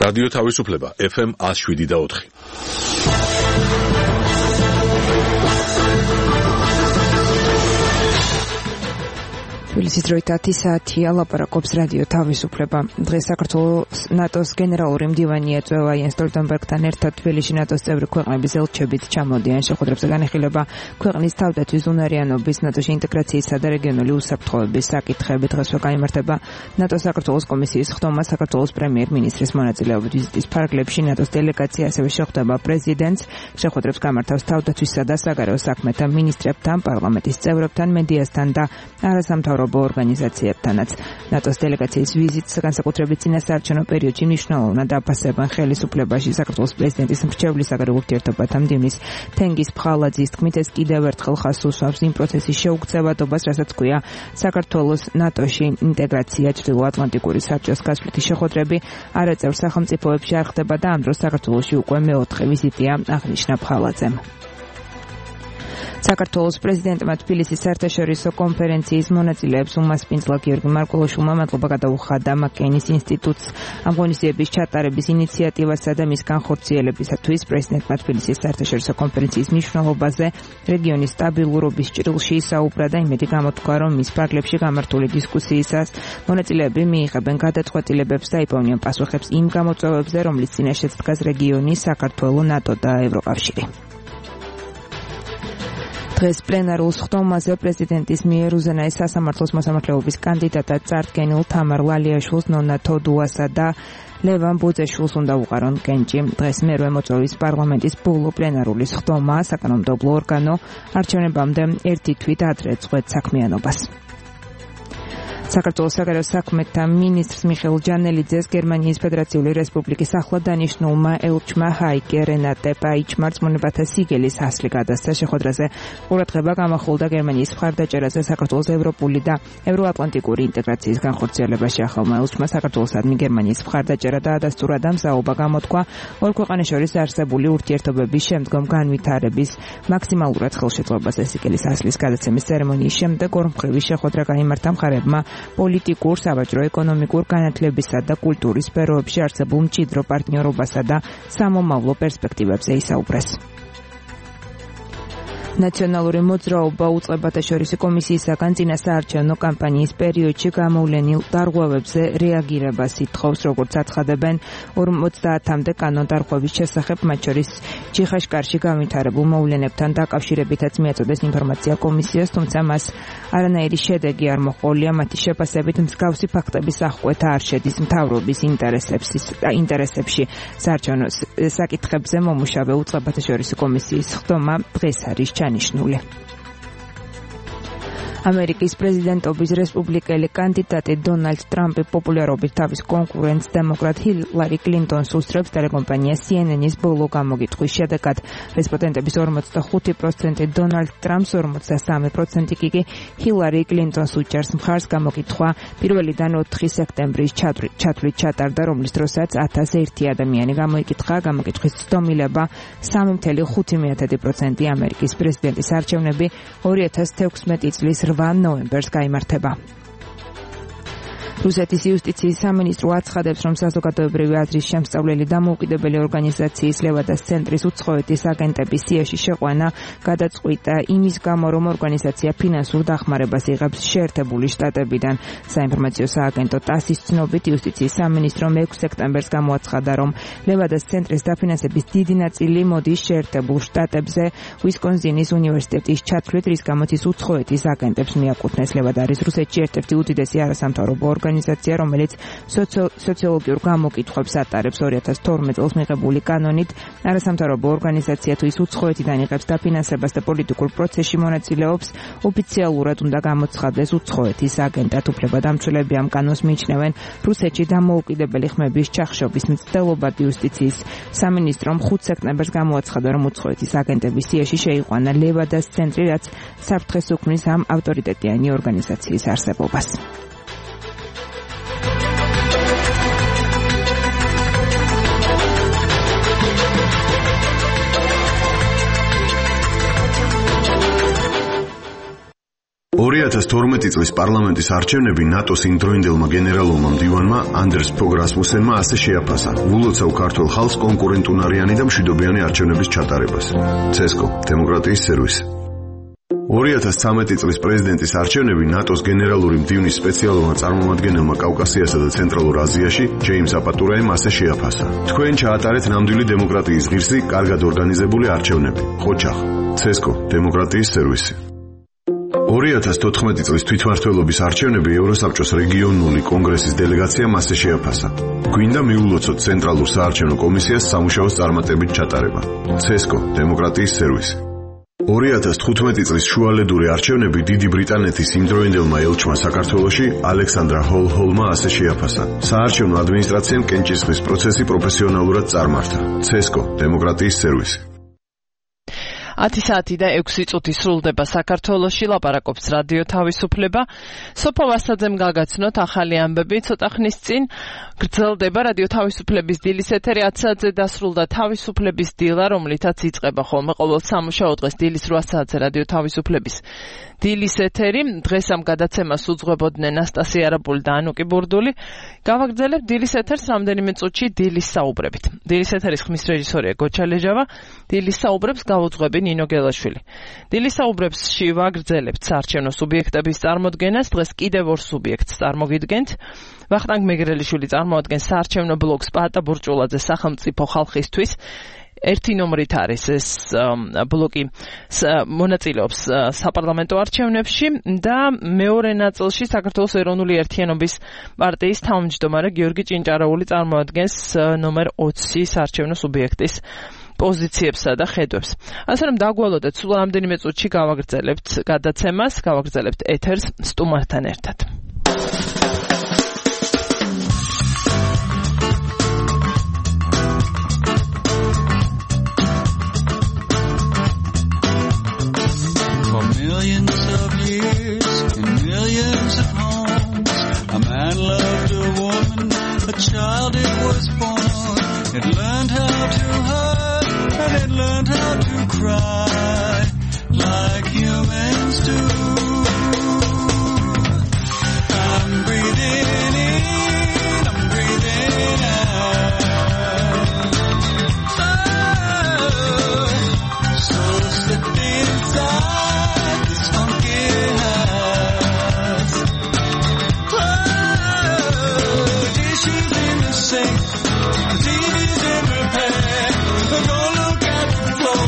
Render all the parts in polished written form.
რადიო თავისუფლება FM 107.4. თბილისის დროით 10 საათია, ლაპარაკობს რადიო თავისუფლება. დღეს საქართველოს ნატოს გენერალური მდივანი ეწევა იენს სტოლტენბერგთან ერთად თბილისში ნატოს წევრი ქვეყნების ელჩებით ჩამოდიან. შეხვედრებზე განიხილება ქვეყნის თავდაცვის უნარიანობის, ნატოში ინტეგრაციისა და რეგიონული უსაფრთხოების საკითხები. დღესვე გაიმართება ნატოს საქართველოს კომისიის ხდომა საქართველოს პრემიერ-მინისტრის მონაწილეობით ვიზიტის ფარგლებში. ნატოს დელეგაცია ასევე შეხვდება პრეზიდენტს. შეხვედრებს გამართავს თავდაცვისა და საგარეო საქმეთა მინისტრებთან, პარლამენტის წევრებთან, მედიასთან და არასამთავრობო ორგანიზაციებთანაც. ნატოს დელეგაციის ვიზიტს განსაკუთრებით წინასაარჩევნო პერიოდში მნიშვნელოვნად აფასებენ ხელისუფლებაში. საქართველოს პრეზიდენტის მრჩევლის საგარეო ურთიერთობათა მდივნის თენგიზ ფხალაძის თქმით, ეს კიდევ ერთხელ ხაზს უსვამს იმ პროცესის შეუქცევადობას, რასაც ჰქვია საქართველოს ნატოში ინტეგრაცია. ჩრდილოატლანტიკური საბჭოს გასვლითი შეხვედრები არაწევრ სახელმწიფოებში არ ხდება და ამ დროს საქართველოში უკვე მეოთხე ვიზიტია, აღნიშნა ფხალაძემ. საქართველოს პრეზიდენტმა თბილისის საერთაშორისო კონფერენციის მონაწილეებს უმასპინძლა გიორგი მარკულოშვილმა მადლობა გადაუხადა მაკეინის ინსტიტუტს ამ ღონისძიების ჩატარების ინიციატივასა და მის განხორციელებისათვის. პრეზიდენტმა თბილისის საერთაშორისო კონფერენციის მნიშვნელობაზე რეგიონის სტაბილურობის ჭრილში ისაუბრა და იმედი გამოთქვა, რომ მის ფარგლებში გამართული დისკუსიისას მონაწილეები მიიღებენ გადაწყვეტილებებს და იპოვნიან პასუხებს იმ გამოწვევებზე, რომლის წინაშეც დგას რეგიონი, საქართველო, ნატო და ევროკავშირი. დღეს პლენარულ ხდომაზე პრეზიდენტის მიერ უზენაეს სასამართლოს მოსამართლეობის კანდიდატად წარდგენილ თამარ ვალიაშვილს, ნონა თოდუასა და ლევან ბუძეშვილს უნდა უყარონ კენჭი. დღეს მერვე მოწვევის პარლამენტის ბოლო პლენარული ხდომა საკანონმდებლო ორგანო არჩევნებამდე ერთი თვით ადრე წყვეტ საქმიანობას. საქართველოს საგარეო საქმეთა მინისტრს მიხეილ ჯანელიძეს გერმანიის ფედერაციული რესპუბლიკის ახლადანიშნულმა ელჩმა ჰაიკე რენატე პაიჩმა რწმუნებათა სიგელის ასლი გადასცა. შეხვედრაზე ყურადღება გამახვილდა გერმანიის მხარდაჭერაზე საქართველოს ევროპული და ევროატლანტიკური ინტეგრაციის განხორციელებაში. ახალმა ელჩმა საქართველოსადმი გერმანიის მხარდაჭერა და ადასტურა და მზაობა გამოთქვა ორ ქვეყანას შორის არსებული ურთიერთობების შემდგომ განვითარების მაქსიმალურად ხელშეწყობაზე. სიგელის ასლის გადაცემის ცერემონიის შემდეგ ორმხრივი შეხვედრა გაიმართა მხარებმა პოლიტიკურ, სავაჭრო, ეკონომიკურ, განათლებისა და კულტურის სფეროებში არსებულ მჭიდრო პარტნიორობასა და სამომავლო პერსპექტივებზე ისაუბრეს. ნაციონალური მოძრაობა უწყებათა შორისი კომისიისაგან წინასაარჩევნო კამპანიის პერიოდში გამოვლენილ დარღვევებზე რეაგირებას ითხოვს, როგორც აცხადებენ 50-მდე კანონდარღვევის შესახებ, მათ შორის ჩიხაშკარში განვითარებულ მოვლენებთან დაკავშირებითაც მიაწოდეს ინფორმაცია კომისიას, თუმცა მას არანაირი შედეგი არ მოჰყოლია. მათი შეფასებით მსგავსი ფაქტების აღკვეთა არ შედის მთავრობის ინტერესებში. საარჩევნო საკითხებზე მომუშავე უწყებათა შორისი კომისიის ხდომა დღეს არის ჩანიშნული. ამერიკის პრეზიდენტობის რესპუბლიკელი კანდიდატი დონალდ ტრამპი პოპულარობით თავის კონკურენტს დემოკრატ ჰილარი კლინტონს უსწრებს ტელეკომპანია CNN-ის ბოლო გამოგიტყვის შედეგად. რესპონდენტების 45% დონალდ ტრამპს, 43% კი ჰილარი კლინტონს უჭერს მხარს. გამოგიტყვა 1-დან 4 სექტემბრის ჩათვლით ჩატარდა, რომლის დროსაც 1001 ადამიანი გამოიკითხა. გამოგიტყვის ცდომილება 3.5% ამერიკის პრეზიდენტის არჩევნები 2016 წლის 8 ნოემბერს გაიმართება. რუსეთის იუსტიციის სამინისტრო აცხადებს, რომ საზოგადოებრივი აზრის შემსწავლელი დამოუკიდებელი ორგანიზაციის ლევადას ცენტრის უცხოეთის აგენტების სიაში შეყვანა გადაწყვიტა იმის გამო, რომ ორგანიზაცია ფინანსურ დახმარებას იღებს შეერთებული შტატებიდან. საინფორმაციო სააგენტო TASS-ის ცნობით, იუსტიციის სამინისტრომ 6 სექტემბერს გამოაცხადა, რომ ლევადას ცენტრის დაფინანსების დიდი ნაწილი მოდის შეერთებულ შტატებზე უისკონსინის უნივერსიტეტის ჩათვლით, რის გამოც ის უცხოეთის აგენტებს მიაკუთვნეს. ლევადა არის რუსეთში ერთ-ერთი უდიდესი არასამთავრობო ორგანიზაცია, რომელიც სოციოლოგიურ გამოკითხვებს ატარებს. 2012 წელს მიღებული კანონით არასამთავრობო ორგანიზაცია თუ ის უცხოეთიდან იღებს დაფინანსებას და პოლიტიკურ პროცესში მონაწილეობს, ოფიციალურად უნდა გამოცხადდეს უცხოეთის აგენტად. უფლებადამცველები ამ კანონს მიიჩნევენ რუსეთში დამოუკიდებელი ხმების ჩახშობის მცდელობად. იუსტიციის სამინისტრომ 5 სექტემბერს გამოაცხადა, რომ უცხოეთის აგენტების სიაში შეიყვანა ლევადას ცენტრი, რაც საფრთხეს უქმნის ამ ავტორიტეტიანი ორგანიზაციის არსებობას. 2012 წლის პარლამენტის არჩევნები ნატოს იმდროინდელმა გენერალურმა მდივანმა ანდერს ფოგ რასმუსენმა ასე შეაფასა: "ვულოცავ ქართულ ხალხს კონკურენტუნარიანი და მშვიდობიანი არჩევნების ჩატარებას." CESCO დემოკრატიის სერვისი. 2013 წლის პრეზიდენტის არჩევნები ნატოს გენერალური მდივნის სპეციალურმა წარმომადგენელმა კავკასიასა და ცენტრალურ აზიაში ჯეიმს აპატურაემ ასე შეაფასა: "თქვენ ჩაატარეთ ნამდვილი დემოკრატიის ღირსი, კარგად ორგანიზებული არჩევნები." ხოჩახ. CESCO დემოკრატიის სერვისი. 2014 წლის თვითმმართველობის არჩევნები ევროსაბჭოს რეგიონული კონგრესის დელეგაციამ ასე შეაფასა: "გვინდა მიულოცოთ ცენტრალურ საარჩევნო კომისიას სამუშაოს წარმატებით ჩატარება." CESCO დემოკრატიის სერვისი. 2015 წლის შუალედური არჩევნები დიდი ბრიტანეთის იმდროინდელმა ელჩმა საქართველოში ალექსანდრა ჰოლჰოლმა ასე შეაფასა: "საარჩევნო ადმინისტრაციამ კენჭისყრის პროცესი პროფესიონალურად წარმართა." CESCO დემოკრატიის სერვისი. 10 საათი და 6 წუთი სრულდება საქართველოში, ლაპარაკობს რადიო თავისუფლება. სოფო ვასაძემ გაგაცნოთ ახალი ამბები ცოტა ხნის წინ. გრძელდება რადიო თავისუფლების დილის ეთერი 10 საათზე დასრულდა თავისუფლების დილა, რომლითაც იწყება ხოლმე ყოველ სამუშაო დღეს დილის 8 საათზე რადიო თავისუფლების დილის ეთერი. დღეს ამ გადაცემას უძღვებოდნენ ანასტასია არაბული და ანუკი ბურდული. გავაგრძელებთ დილის ეთერს რამდენიმე წუთში დილის საუბრებით. დილის ეთერის ხმის რეჟისორია გოჩა ლეჟავა, დილის საუბრებს გავუძღვები ნინო გელაშვილი. დილის საუბრებში ვაგრძელებთ საარჩევნო სუბიექტების წარმოდგენას. დღეს კიდევ ორ სუბიექტს წარმოგიდგენთ. ვახტანგ მეგრელიშვილი წარმოადგენს საარჩევნო ბლოკს პაატა ბურჭულაძე სახელმწიფო ხალხისთვის. ერთი ნომრით არის ეს ბლოკი, მონაწილეობს საპარლამენტო არჩევნებში და მეორე ნაწილში საქართველოს ეროვნული ერთიანობის პარტიის თავმჯდომარე გიორგი ჭინჭარაული წარმოადგენს ნომერ 20 საარჩევნო სუბიექტის პოზიციებსა და ხედვებს. ასე რომ დაგვალოდეთ, სულ რამდენიმე წუთში გავაგრძელებთ გადაცემას, გავაგრძელებთ ეთერს სტუმართან ერთად. Millions of years and millions of homes, a man loved a woman, a child it was born. It learned how to hurt and it learned how to cry like humans do. I'm breathing in, I'm breathing out. So slip inside this funky house. Dishes in the sink, TV's in repair. Don't look at the floor,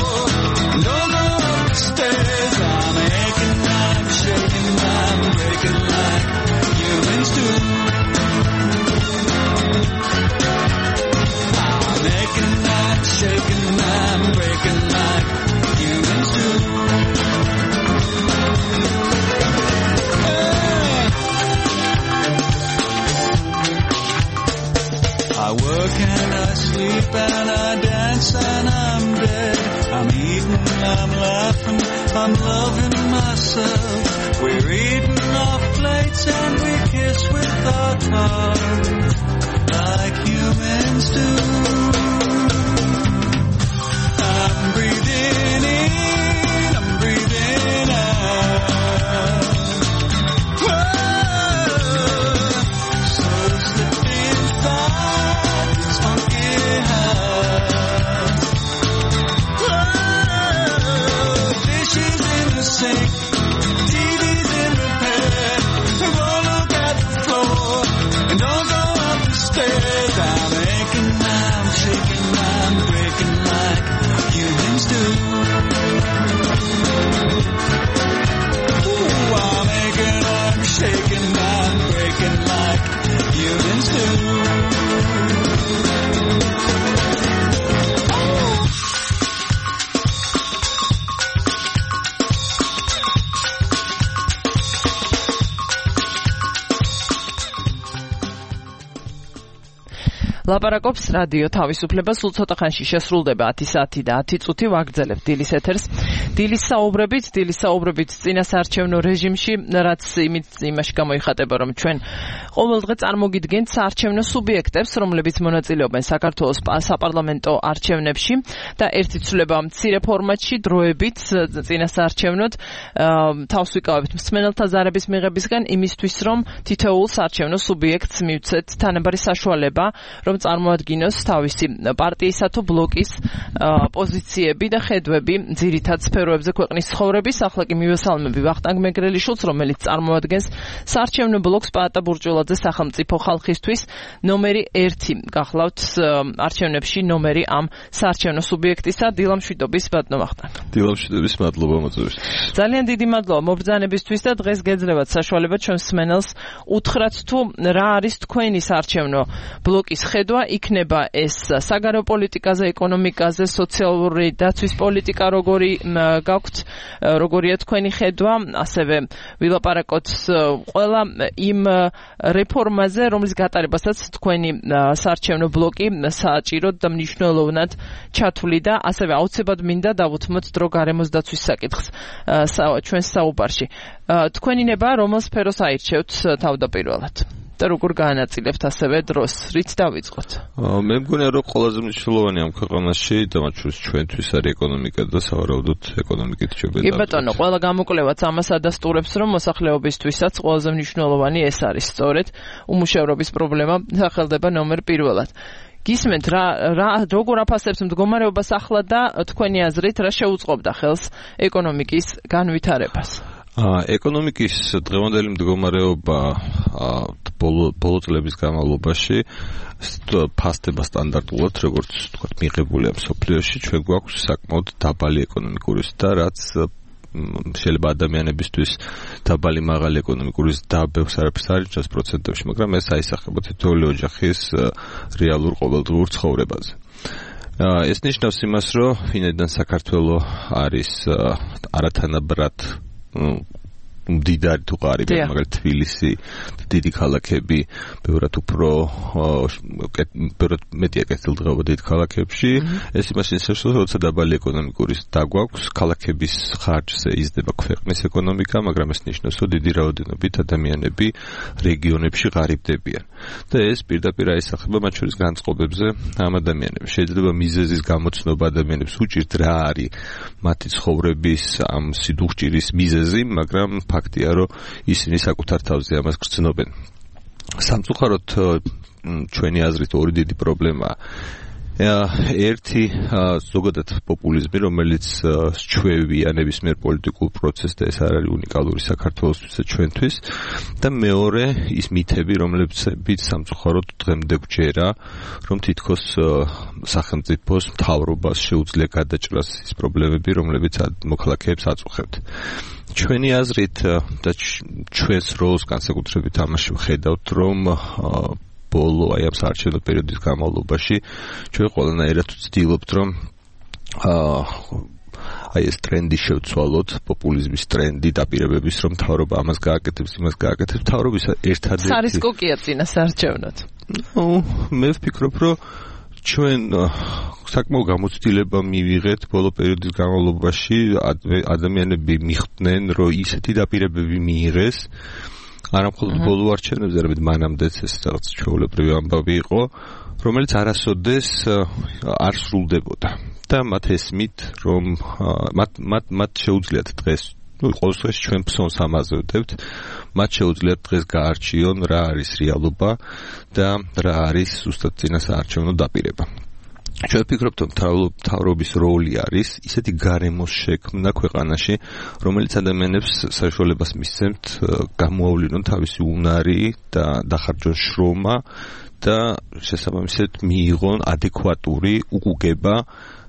don't go up the stairs. I'm aching, I'm shaking, I'm breaking like humans do. I'm aching, I'm shaking, I'm breaking like humans do. I work and I sleep and I dance and I'm dead. I'm eating, I'm laughing, I'm loving myself. We're eating off plates and we kiss with our tongues like humans do. I'm breathing in, I'm breathing out. So slip inside this funky house. Dishes in the sink, TV's in repair. Don't look at the floor and don't go up the stairs. I'm aching, I'm shaking, I'm breaking like humans do. Ooh, I'm aching, I'm shaking, I'm breaking like humans do. ლაპარაკობს რადიო თავისუფლება, სულ ცოტა ხანში შესრულდება 10 საათი და 10 წუთი ვაგრძელებთ დილის ეთერს. დილის საუბრებით წინასაარჩევნო რეჟიმში, რაც იმაში გამოიხატება, რომ ჩვენ ყოველდღე წარმოგიდგენთ საარჩევნო სუბიექტებს, რომლებიც მონაწილეობენ საქართველოს საპარლამენტო არჩევნებში და ერთი ცვლილება მცირე ფორმატში დროებით წინასაარჩევნოდ თავს ვიკავებთ მსმენელთა ზარების მიღებისგან იმისთვის, რომ თითოეულ საარჩევნო სუბიექტს მივცეთ თანაბარი საშუალება, რომ წარმოადგინოს თავისი პარტიისა თუ ბლოკის პოზიციები და ხედვები ძირითად სფეროებზე ქვეყნის ცხოვრების. ახლა კი მივესალმები ვახტანგ მეგრელიშვილს, რომელიც წარმოადგენს საარჩევნო ბლოკს პაატა ბურჭულაძე სახელმწიფო ხალხისთვის ნომერი 1 გახლავთ არჩევნებში ნომერი ამ საარჩევნო სუბიექტისა. დილამშვიდობის ბატონო ვახტანგ. დილამშვიდობის, მადლობა მოწვევისთვის. ძალიან დიდი მადლობა მობრძანებისთვის და დღეს გეძლევათ საშუალება ჩვენ მსმენელს უთხრათ თუ რა არის თქვენი საარჩევნო ბლოკის ხედვა, იქნება ეს საგარეო პოლიტიკაზე, ეკონომიკაზე, სოციალური დაცვის პოლიტიკა როგორი გაქვთ, როგორია თქვენი ხედვა, ასევე ვილაპარაკოთ ყველა იმ რეფორმაზე, რომლის გატარებასაც თქვენი საარჩევნო ბლოკი საჭიროდ და მნიშვნელოვნად ჩათვლიდა, ასევე აუცილებლად მინდა დავუთმოთ დრო გარემოს დაცვის საკითხს ჩვენს საუბარში. თქვენი ნება რომელ სფეროს აირჩევთ თავდაპირველად? და როგორ გაანაწილებთ ასევე დროს, რით დავიწყოთ? მე მგონია, რომ ყველაზე მნიშვნელოვანი ამ ქვეყანაში და მათ შორის ჩვენთვის არის ეკონომიკა და სავარაუდოდ ეკონომიკით შეიძლება. კი ბატონო, ყველა გამოკვლევაც ამას ადასტურებს, რომ მოსახლეობისთვისაც ყველაზე მნიშვნელოვანი ეს არის სწორედ უმუშევრობის პრობლემა სახელდება ნომერ 1. გისმენთ როგორ აფასებთ მდგომარეობას ახლა და თქვენი აზრით რა შეუწყობდა ხელს ეკონომიკის განვითარებას? ეკონომიკის დღევანდელი მდგომარეობა ბოლო წლების განმავლობაში ფასდება სტანდარტულად, როგორც თქვა, მიღებულია მსოფლიოში. ჩვენ გვაქვს საკმაოდ დაბალი ეკონომიკური ზრდა, რაც შეიძლება ადამიანებისთვის დაბალი მაღალი ეკონომიკური ზრდა ბევრს არაფერს არ იჩენს პროცენტებში, მაგრამ ეს აისახება თითოეული ოჯახის რეალურ ყოველდღიურ ცხოვრებაზე. ეს ნიშნავს იმას, რომ ვინაიდან საქართველო არის არათანაბრად მდიდარი თუ ყარიბი, მაგალითად თბილისი, დიდი ქალაქები, ბევრად უფრო მეტია კეთილდღეობა დიდ ქალაქებში. ეს იმას ნიშნავს, რომ როცა დაბალი ეკონომიკური ზრდა გვაქვს, ქალაქების ხარჯზე იზრდება ქვეყნის ეკონომიკა, მაგრამ ეს ნიშნავს, რომ დიდი რაოდენობით ადამიანები რეგიონებში ღარიბდებიან. და ეს პირდაპირ აისახება მათ შორის განწყობებზე ამ ადამიანებს. შეიძლება მიზეზის გამოცნობა ადამიანებს უჭირთ რა არის მათი ცხოვრების ამ სიდუხჭირის მიზეზი, მაგრამ ფაქტია, რომ ისინი საკუთარ თავზე ამას გრძნობენ. სამწუხაროდ ჩვენი აზრით ორი დიდი პრობლემაა. ერთი ზოგადად პოპულიზმი, რომელიც სჩვევია ნებისმიერ პოლიტიკურ პროცესს და ეს არ არის უნიკალური საქართველოსთვის და ჩვენთვის. და მეორე ის მითები, რომლებიც სამწუხაროდ დღემდე გვჯერა, რომ თითქოს სახელმწიფოს მთავრობას შეუძლია გადაჭრას ის პრობლემები, რომლებიც მოქალაქეებს აწუხებთ. ჩვენი აზრით და ჩვენს როლს განსაკუთრებით ამაში ვხედავთ, რომ ბოლო აი ამ საარჩევნო პერიოდის განმავლობაში ჩვენ ყველანაირად ვცდილობთ, რომ აი ეს ტრენდი შევცვალოთ, პოპულიზმის ტრენდი, დაპირებების, რომ მთავრობა ამას გააკეთებს, იმას გააკეთებს. მთავრობის ერთადერთი სარისკო კია წინასაარჩევნოდ. მე ვფიქრობ, რომ ჩვენ საკმაო გამოცდილება მივიღეთ ბოლო პერიოდის განმავლობაში, ადამიანები მიხვდნენ, რომ ისეთი დაპირებები მიიღეს, არა მხოლოდ ბოლო არჩევნებზე, არამედ მანამდეც ეს რაღაც ჩვეულებრივი ამბავი იყო, რომელიც არასოდეს არ სრულდებოდა. და მათ ესმით, რომ მათ შეუძლიათ დღეს, ყოველ შემთხვევაში ჩვენ ფსონს ამაზევდებთ, მათ შეუძლიათ დღეს გაარჩიონ რა არის რეალობა და რა არის ზუსტად წინასაარჩევნო დაპირება. ჩვენ ვფიქრობთ, რომ მთავრობის როლი არის ისეთი გარემოს შექმნა ქვეყანაში, რომელიც ადამიანებს საშუალებას მისცემთ გამოავლინონ თავისი უნარი და დახარჯონ შრომა და შესაბამისად მიიღონ ადეკვატური უკუგება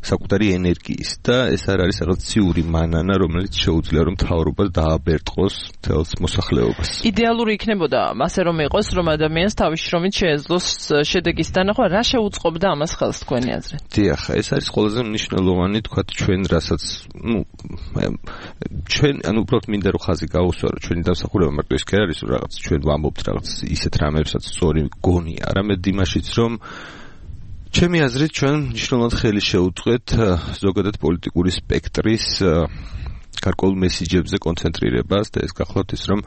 საკუთარი ენერგიის და ეს არ არის რაღაც ციური მანანა, რომელიც შეუძლია რომ მთავრობას დააბერტყოს თელს მოსახლეობას. იდეალური იქნებოდა ასე რომ იყოს, რომ ადამიანს თავის შრომით შეეძლოს შედეგის დანახვა, რა შეუწყობდა ამას ხელს თქვენი აზრით? დიახ, ეს არის ყველაზე მნიშვნელოვანი, თქვათ ჩვენ რასაც, ჩვენ უბრალოდ მინდა რომ ხაზი გაუსვა, რომ ჩვენი დამსახურება მარტო ის კი არის, რომ რაღაც ჩვენ ვამბობთ რაღაც ისეთ რამებსაც სწორი გონია, არამედ იმაშიც, რომ ჩემი აზრით ჩვენ მნიშვნელოვნად ხელი შეუწყეთ ზოგადად პოლიტიკური სპექტრის გარკვეულ მესიჯებზე კონცენტრირებას და ეს გახლავთ ის რომ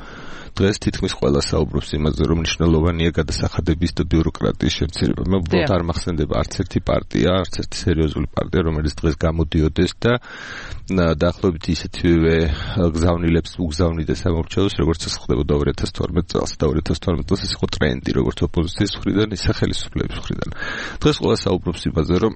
დღეს თითქმის ყველა საუბრობს იმაზე რომ მნიშვნელოვანია გადასახადების და ბიუროკრატიის შემცირება. მე უბრალოდ არ მახსენდება არც ერთი პარტია, არც ერთი სერიოზული პარტია რომელიც დღეს გამოდიოდეს და დაახლოებით ისეთივე გზავნილებს უგზავნიდეს სამორჩეულოს როგორც ეს ხდებოდა 2012 წელს და 2012 წელს ეს იყო ტრენდი როგორც ოპოზიციის მხრიდან ისე ხელისუფლების მხრიდან. დღეს ყველა საუბრობს იმაზე რომ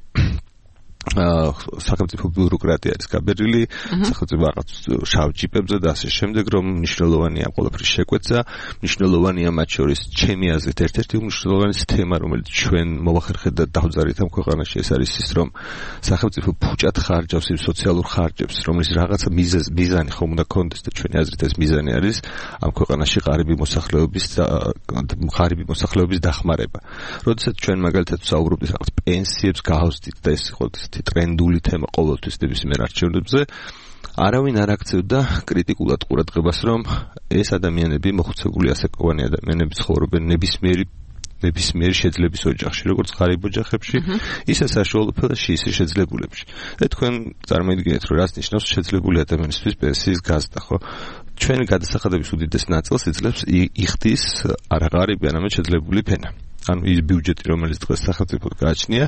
სახელმწიფო ბიუროკრატია არის გაბერილი, სახელმწიფო რაღაც შავ ჯიპებზე და ასე შემდეგ, რომ მნიშვნელოვანია ყველაფრის შეკვეთა, მნიშვნელოვანია მათ შორის ჩემი აზრით ერთ-ერთი უმნიშვნელოვანესი თემა, რომელიც ჩვენ მოვახერხეთ და დავძარით ამ ქვეყანაში, ეს არის ის, რომ სახელმწიფო ფუჭად ხარჯავს იმ სოციალურ ხარჯებს, რომლის რაღაცა მიზანი ხომ უნდა კონდეს და ჩვენი აზრით ეს მიზანი არის ამ ქვეყანაში ღარიბი მოსახლეობის დახმარება. როდესაც ჩვენ მაგალითად ვსაუბრობთ რაღაც პენსიებს გავსდით და ეს იყო ტრენდული თემა ყოველთვის ნებისმიერ არჩევნებზე, არავინ არ აქცევდა კრიტიკულად ყურადღებას, რომ ეს ადამიანები მოხუცებული ასაკოვანი ადამიანები ცხოვრობენ ნებისმიერი შეძლების ოჯახში, როგორც ღარიბ ოჯახებში, ისე საშუალო ფელაში, ისე შეძლებულებში. და თქვენ წარმოიდგინეთ, რომ რას ნიშნავს შეძლებული ადამიანისთვის პენსიის გაზრდა, ხო? ჩვენი გადასახადების უდიდეს ნაწილს იძლევს იხდის არა ღარიბი, არამედ შეძლებული ფენა. ანუ ის ბიუჯეტი, რომელიც დღეს სახელმწიფოდ გააჩნია,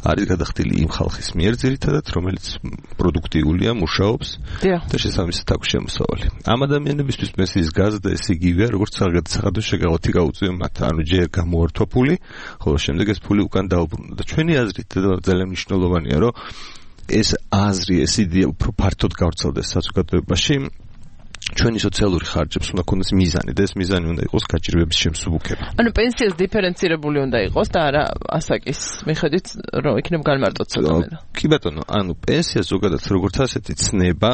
არის გადახდილი იმ ხალხის მიერ ძირითადად, რომელიც პროდუქტიულია, მუშაობს და შესაბამისად აქვს შემოსავალი. ამ ადამიანებისთვის პენსიის გაზრდა ეს იგივეა, როგორც გადასახადო შეგავათი გაუწია მათ. ანუ ჯერ გამოართვა ფული, ხოლო შემდეგ ეს ფული უკან დაუბრუნდა. და ჩვენი აზრით ძალიან მნიშვნელოვანია, რომ ეს აზრი, ეს იდეა უფრო ფართოდ გავრცელდეს საზოგადოებაში. ჩვენი სოციალური ხარჯებს უნდა ქონდეს მიზანი და ეს მიზანი უნდა იყოს გაჭირვების შემსუბუქება. ანუ პენსიას დიფერენცირებული უნდა იყოს და არა ასაკის მიხედვით რომ იქნებ განმარტოთ ცოტა. კი ბატონო, ანუ პენსია ზოგადად როგორც ასეთი ცნება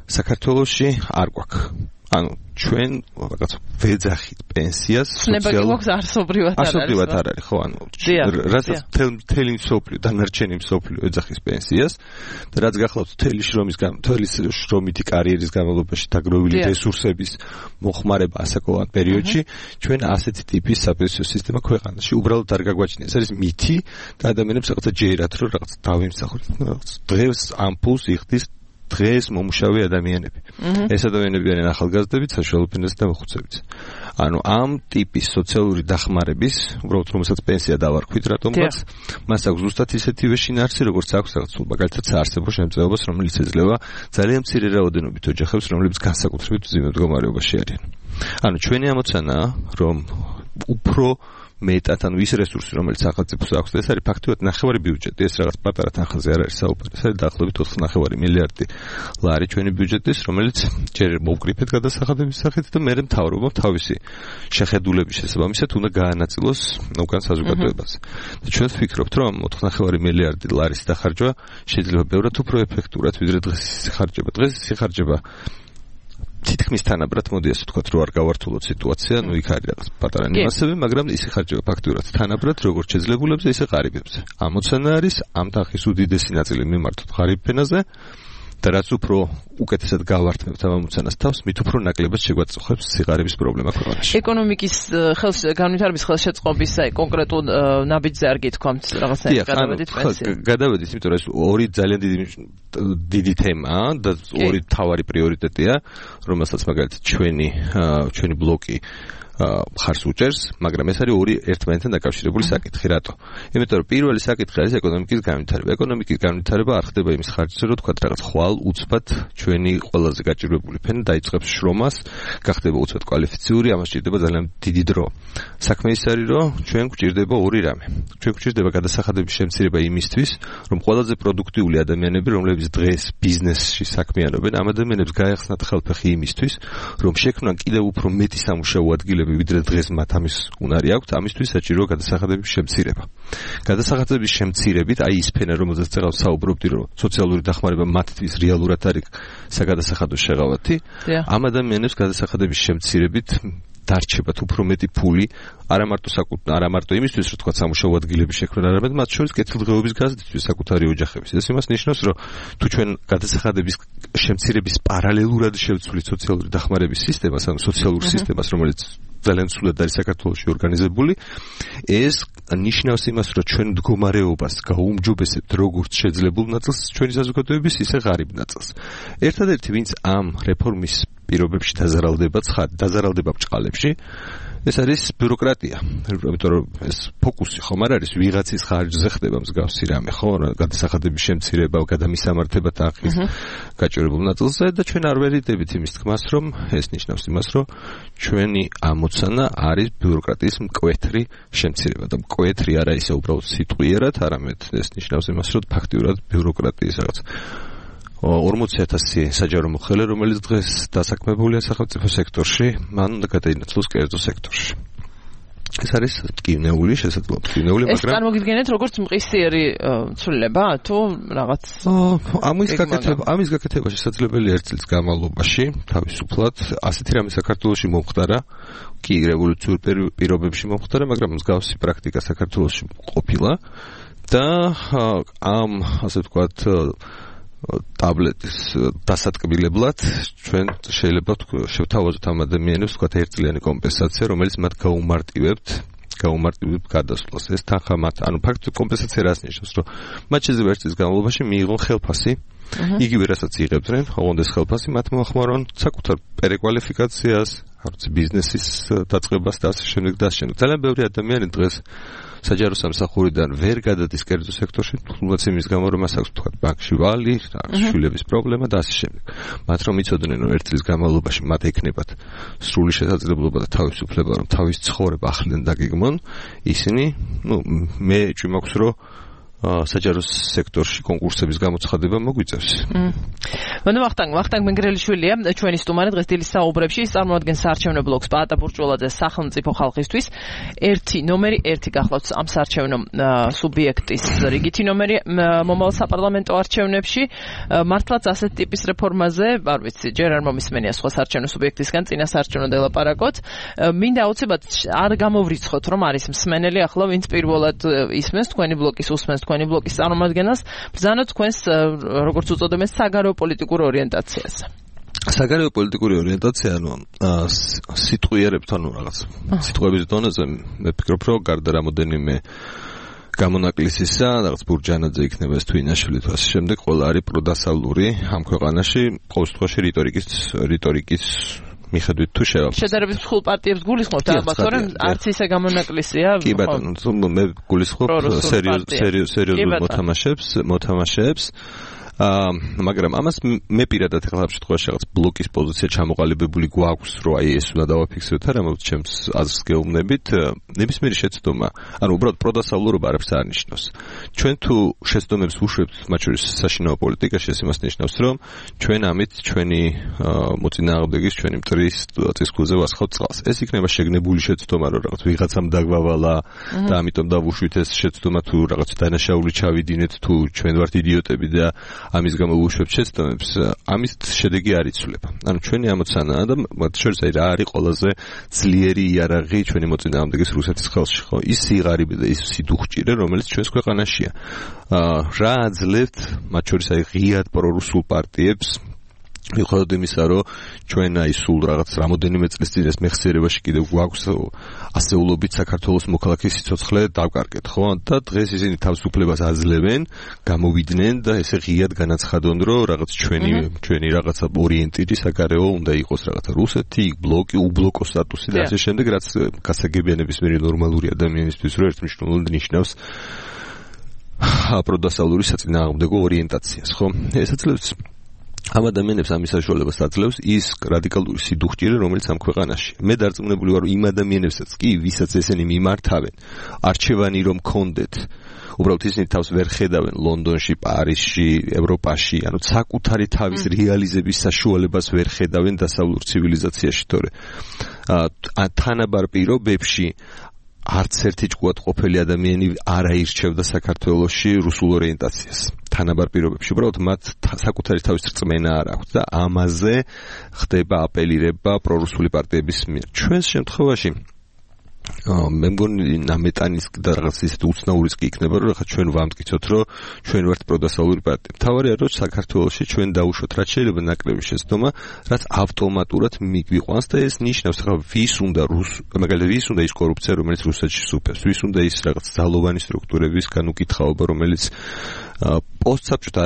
საქართველოში არ გვაქვს. ანუ ჩვენ რაღაც ვეძახით პენსიას სოციალურ არსობრივად არ არის, ხო, ანუ რასაც მთელი მსოფლიო დანარჩენი მსოფლიო ეძახის პენსიას და რაც გახლავთ მთელი შრომითი კარიერის განმავლობაში დაგროვილი რესურსების მოხმარება ასაკოვან პერიოდში, ჩვენ ასეთი ტიპის საპენსიო სისტემა ქვეყანაში უბრალოდ არ გაგვაჩნია. ეს არის მითი და ადამიანებს რაღაცა ჯერათ, რომ რაღაც დავიმსახურეთ, რაღაც დღეს ამ ფულს იხდის დღეს მომუშავე ადამიანები. ეს ადამიანები არიან ახალგაზრდები, საშუალო ფენაზე და მოხუცებიც. ანუ ამ ტიპის სოციალური დახმარების, უბრალოდ რომელსაც პენსია დავარქვით რატომღაც, მას აქვს ზუსტად ისეთივე შინაარსი, როგორც აქვს რაღაც მაგალითად საარსებო შემწეობას, რომელიც ეძლევა ძალიან მცირე რაოდენობით ოჯახებს, რომლებიც განსაკუთრებით მძიმე მდგომარეობაში არიან. ანუ ჩვენი ამოცანაა, რომ უფრო მეტად, ანუ ის რესურსი, რომელიც სახელმწიფოს აქვს, ეს არის ფაქტობრივად ნახევარი ბიუჯეტი, ეს რაღაც პატარა თანხაზე არ არის საუბარი, ეს არის დაახლოებით 4.5 მილიარდი ლარი ჩვენი ბიუჯეტის, რომელიც ჯერ მოვკრიფეთ გადასახადების სახით და მერე მთავრობამ თავისი შეხედულების შესაბამისად უნდა გაანაწილოს უკან საზოგადოებას. და ჩვენ ვფიქრობთ, რომ 4.5 მილიარდი ლარის დახარჯვა შეიძლება ბევრად უფრო ეფექტურად, ვიდრე დღეს იხარჯება. დღეს იხარჯება თითქმის თანაბრად, მოდი ასე ვთქვათ, რომ არ გავართულოთ სიტუაცია, ну იქ არის რაღაც პატარა ნიუანსები, მაგრამ ის იხარჯება ფაქტურად თანაბრად, როგორც შეძლებულებზე, ისე ღარიბებზე. ამოცანა არის ამ თანხის უდიდესი ნაწილი მიმართოთ ღარიბ ფენაზე და რაც უფრო უკეთესად გავართმევთ ამ ამოცანას თავს, მით უფრო ნაკლებად შეგვაწუხებს სიღარიბის პრობლემა ქვეყანაში. ეკონომიკის განვითარების ხელშეწყობის კონკრეტულ ნაბიჯზე არ გითქვამთ რაღაცნაირად გადავედით პენსიაზე. გადავედით, იმიტომ რომ ეს ორი ძალიან დიდი თემაა და ორი მთავარი პრიორიტეტია, რომელსაც მაგალითად ჩვენი ბლოკი ხარს უჭერს, მაგრამ ეს არის ორი ერთმანეთთან დაკავშირებული საკითხი. რატო? იმიტომ რომ პირველი საკითხი არის ეკონომიკის განვითარება. ეკონომიკის განვითარება არ ხდება იმის ხარჯზე, რომ თქვა რაღაც ხვალ უცბად ჩვენი ყველაზე გაჭირვებული ფენა დაიწყებს შრომას, გახდება უცბად კვალიფიციური, ამას სჭირდება ძალიან დიდი დრო. საქმე ის არის, რომ ჩვენ გვჭირდება ორი რამე. ჩვენ გვჭირდება გადასახადების შემცირება იმისთვის, რომ ყველაზე პროდუქტიული ადამიანები, რომლებიც დღეს ბიზნესში საქმიანობენ, ამ ადამიანებს გაეხსნათ ხელფეხი იმისთვის, რომ შექმნან კიდევ უფრო მეტი სამუშაო ადგილები ვიდრე დღეს მათ ამის უნარი აქვთ, ამისთვის საჭიროა გადასახადების შემცირება. გადასახადების შემცირებით, აი ის ფენა, რომელზეც წეგავ საუბრობდი, რომ სოციალური დახმარება მათთვის რეალურად არის საგადასახადო შეღავათი, ამ ადამიანებს გადასახადების შემცირებით დარჩებათ უფრო მეტი ფული, არა მარტო იმისთვის, რომ თქვა სამუშაო ადგილები შექმნან, არამედ მათ შორის კეთილდღეობის გაზრდისთვის საკუთარი ოჯახების. ეს იმას ნიშნავს, რომ თუ ჩვენ გადასახადების შემცირების პარალელურად შევცვლით სოციალური დახმარების სისტემას, ანუ სოციალურ სისტემას, რომელიც ძალიან სულად არის საქართველოში ორგანიზებული, ეს ნიშნავს იმას, რომ ჩვენ მდგომარეობას გაუმჯობესებთ როგორც შეძლებულ ნაწილს ჩვენი საზოგადოების, ისე ღარიბ ნაწილს. ერთადერთი, ვინც ამ რეფორმის პირობებში დაზარალდება ბჭყალებში, ეს არის ბიუროკრატია. იმიტომ რომ ეს ფოკუსი ხომ არ არის ვიღაცის ხარჯზე ხდება მსგავსი რამე, ხო? გადასახადების შემცირება, გადამისამართება ტახის გაჭირებულ ნაწილზე და ჩვენ არ ვერიდებით იმის თქმას, რომ ეს ნიშნავს იმას, რომ ჩვენი ამოცანა არის ბიუროკრატიის მკვეთრი შემცირება და მკვეთრი არა ისე უბრალოდ სიტყვიერად, არამედ ეს ნიშნავს იმას, რომ ფაქტიურად ბიუროკრატიის რაღაც 40,000 საჯარო მოხელე, რომელიც დღეს დასაქმებულია სახელმწიფო სექტორში, მან უნდა გადაინაცვლოს კერძო სექტორში. ეს არის ტკივნეული, შესაძლოა ტკივნეული, მაგრამ ეს წარმოგიდგენთ როგორც მყისიერი ცვლილება თუ რაღაც ამის გაკეთება შესაძლებელია 1 წლის განმავლობაში, თავისუფლად, ასეთი რამე საქართველოში მომხდარა, კი რევოლუციურ პირობებში მომხდარა, მაგრამ მსგავსი პრაქტიკა საქართველოში ყოფილა და ამ ასე ვთქვათ ტაბლეტის დასატკბილებლად ჩვენ შეიძლება შევთავაზოთ ამ ადამიანებს ვთქვათ ერთწლიანი კომპენსაცია, რომელიც მათ გაუმარტივებთ გადასვლას. ეს თანხა მათ, ანუ ფაქტობრივად კომპენსაცია რას ნიშნავს, რომ მათ შეიძლება 1 წლის განმავლობაში მიიღონ ხელფასი, იგივე რასაც იღებდნენ, ოღონდ ეს ხელფასი მათ მოახმარონ საკუთარ პერეკვალიფიკაციას, ბიზნესის დაწყებას და ასე შემდეგ და ასე შემდეგ. ძალიან ბევრი ადამიანი დღეს საჯარო სამსახურიდან ვერ გადადის კერძო სექტორში, თუნდაც იმის გამო, რომ მას აქვს თქვა ბანკში ვალი, შვილების პრობლემა და ასე შემდეგ. მათ რომ იცოდნენ, რომ 1 წლის განმავლობაში მათ ექნებათ სრული შესაძლებლობა და თავისუფლება, რომ თავის ცხოვრება ახლიდან დაგეგმონ, ისინი, მე ჭვიმაქვს, რომ საჯარო სექტორში კონკურსების გამოცხადება მოგვიწევს. ვახტანგ მენგრელიშვილია ჩვენი სტუმარი დღეს დილის საუბრებში, ის წარმოადგენს საარჩევნო ბლოკს პაატა ბურჭულაძეს სახელმწიფო ხალხისთვის. 1 ნომერი 1 გახლავთ ამ საარჩევნო სუბიექტის რიგითი ნომერი მომავალ საპარლამენტო არჩევნებში. მართლაც ასეთ ტიპის რეფორმაზე, არ ვიცი, ჯერ არ მომისმენია სხვა საარჩევნო სუბიექტისგან წინა საარჩევნო დელაპარაკოთ. მინდა აუცილებლად არ გამოვრიცხოთ, რომ არის მსმენელი ახლა, ვინც პირველად ისმენს თქვენი ბლოკის უსმენს თქვენი ბლოკის წარმომადგენელს, ბრძანოთ თქვენს როგორც უწოდებენ საგარეო პოლიტიკურ ორიენტაციას. საგარეო პოლიტიკური ორიენტაცია, სიტყვიერებთ, რაღაც სიტყვების დონეზე, მე ვფიქრობ, რომ გარდა რამოდენიმე გამონაკლისისა, რაღაც ბურჯანაძე იქნება ეს თვინაშვილი თუ ასე შემდეგ, ყველა არის პროდასალური ამ ქვეყანაში, ყოველ შემთხვევაში რიტორიკის მიხედვით თუ შევაფასოთ. შედარებით მსხვილ პარტიებს გულისხმობთ ალბათ, რომ არც ისე გამონაკლისია. კი ბატონო, მე გულისხმობ სერიოზულ მოთამაშეებს. მაგრამ ამას მე პირადად ახლა ამ შემთხვევაში რაღაც ბლოკის პოზიცია ჩამოყალიბებული გვაქვს, რომ აი ეს უნდა დავაფიქსიროთ, რამაც ჩემს აზრს გეუბნებით, ნებისმიერი შეცდომა, ანუ უბრალოდ პროდასავლურობა არაფერს არ ნიშნავს. ჩვენ თუ შეცდომებს ვუშვებთ, მათ შორის საშინაო პოლიტიკაში, ეს იმას ნიშნავს, რომ ჩვენ ამით ჩვენი მოწინააღმდეგის, ჩვენი მტრის წისქვილზე ვასხავთ წყალს. ეს იქნება შეგნებული შეცდომა, რომ რაღაც ვიღაცამ დაგვავალა და ამიტომ დავუშვით ეს შეცდომა, თუ რაღაც დანაშაული ჩავიდინეთ, თუ ჩვენ ვართ იდიოტები და ამის გამო ვუშვებთ შეცდომებს, ამის შედეგი არ იცვლება. ანუ ჩვენი ამოცანაა და მათ შორის რა არის ყველაზე ძლიერი იარაღი ჩვენი მოწინააღმდეგის რუსეთის ხელში, ხო? ის სიღარიბე და ის სიდუხჭირე, რომელიც ჩვენს ქვეყანაშია. რა აძლევთ მათ შორის აი ღიად პრორუსულ პარტიებს მიუხედავად იმისა, რომ ჩვენ აი სულ რაღაც რამოდენიმე წლის წინ ეს მეხსიერებაში კიდევ გვაქვს ასეულობით საქართველოს მოქალაქის სიცოცხლე დავკარგეთ, ხო? და დღეს ისინი თავისუფლებას აძლევენ, გამოვიდნენ და ესე ღიად განაცხადონ, რომ რაღაც ჩვენი რაღაცა ორიენტირი საგარეო უნდა იყოს რაღაცა რუსეთი, ბლოკი, უბლოკო სტატუსი და ასე შემდეგ, რაც გასაგებია ნებისმიერი ნორმალური ადამიანისთვის, რომ ერთმნიშვნელოვნად ნიშნავს პროდასალური საწინააღმდეგო ორიენტაციას, ხო? ეს აძლევს ამ ადამიანებს ამის საშუალებას აძლევს ის რადიკალური სიდუხჭირე, რომელიც ამ ქვეყანაში. მე დარწმუნებული ვარ, იმ ადამიანებსაც კი, ვისაც ესენი მიმართავენ, არჩევანი რომ კონდეთ, უბრალოდ ისინი თავს ვერ ხედავენ ლონდონში, პარიზში, ევროპაში, ანუ საკუთარი თავის რეალიზების საშუალებას ვერ ხედავენ დასავლურ ცივილიზაციაში, თორე თანაბარ პირობებში არც ერთი ჭკუად ყოფილი ადამიანი არ აირჩევდა საქართველოში რუსულ ორიენტაციას. თანაბარ პირობებში უბრალოდ მათ საკუთარი თავის რწმენა არ აქვს და ამაზე ხდება აპელირება პრორუსული პარტიების მიერ. ჩვენს შემთხვევაში მე მგონი ნამეტანის და რაღაც ისეთ უცნაურის კი იქნება, რომ ხა ჩვენ ვამტკიცოთ, რომ ჩვენ ვართ პროდასალური პარტია. თავარია, რომ საქართველოში ჩვენ დაუშვოთ, რაც შეიძლება ნაკლები შეცდომა, რაც ავტომატურად მიგვიყვანს და ეს ნიშნავს, ხა ვის უნდა მაგალითად ვის უნდა ის კორუფცია, რომელიც რუსეთში სუფევს, ვის უნდა ის რაღაც ძალოვანი სტრუქტურების განუკითხაობა, რომელიც პოსტსაბჭოთა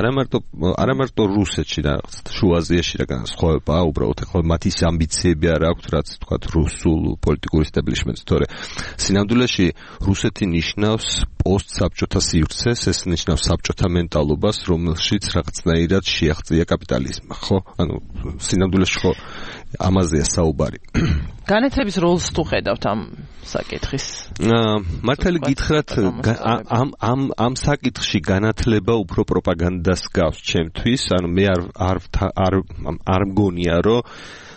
არა მარტო რუსეთში და შუა აზიაში და განსხვავება, უბრალოდ ახლა მათი ამბიციები არ აქვთ, რაც თქვა რუსულ პოლიტიკურ ისტაბლიშმენტს, თორე სინამდვილეში რუსეთი ნიშნავს პოსტსაბჭოთა სივრცეს, ეს ნიშნავს საბჭოთა მენტალობას, რომელშიც რაღაცნაირად შეაღწია კაპიტალიზმი, ხო? ანუ სინამდვილეში ხო ამაზეა საუბარი. განათლების როლს თუ ხედავთ ამ საკითხის? მართალი გითხრათ, ამ საკითხში განათლება უფრო პროპაგანდას გავს ჩემთვის, ანუ მე არ მგონია, რომ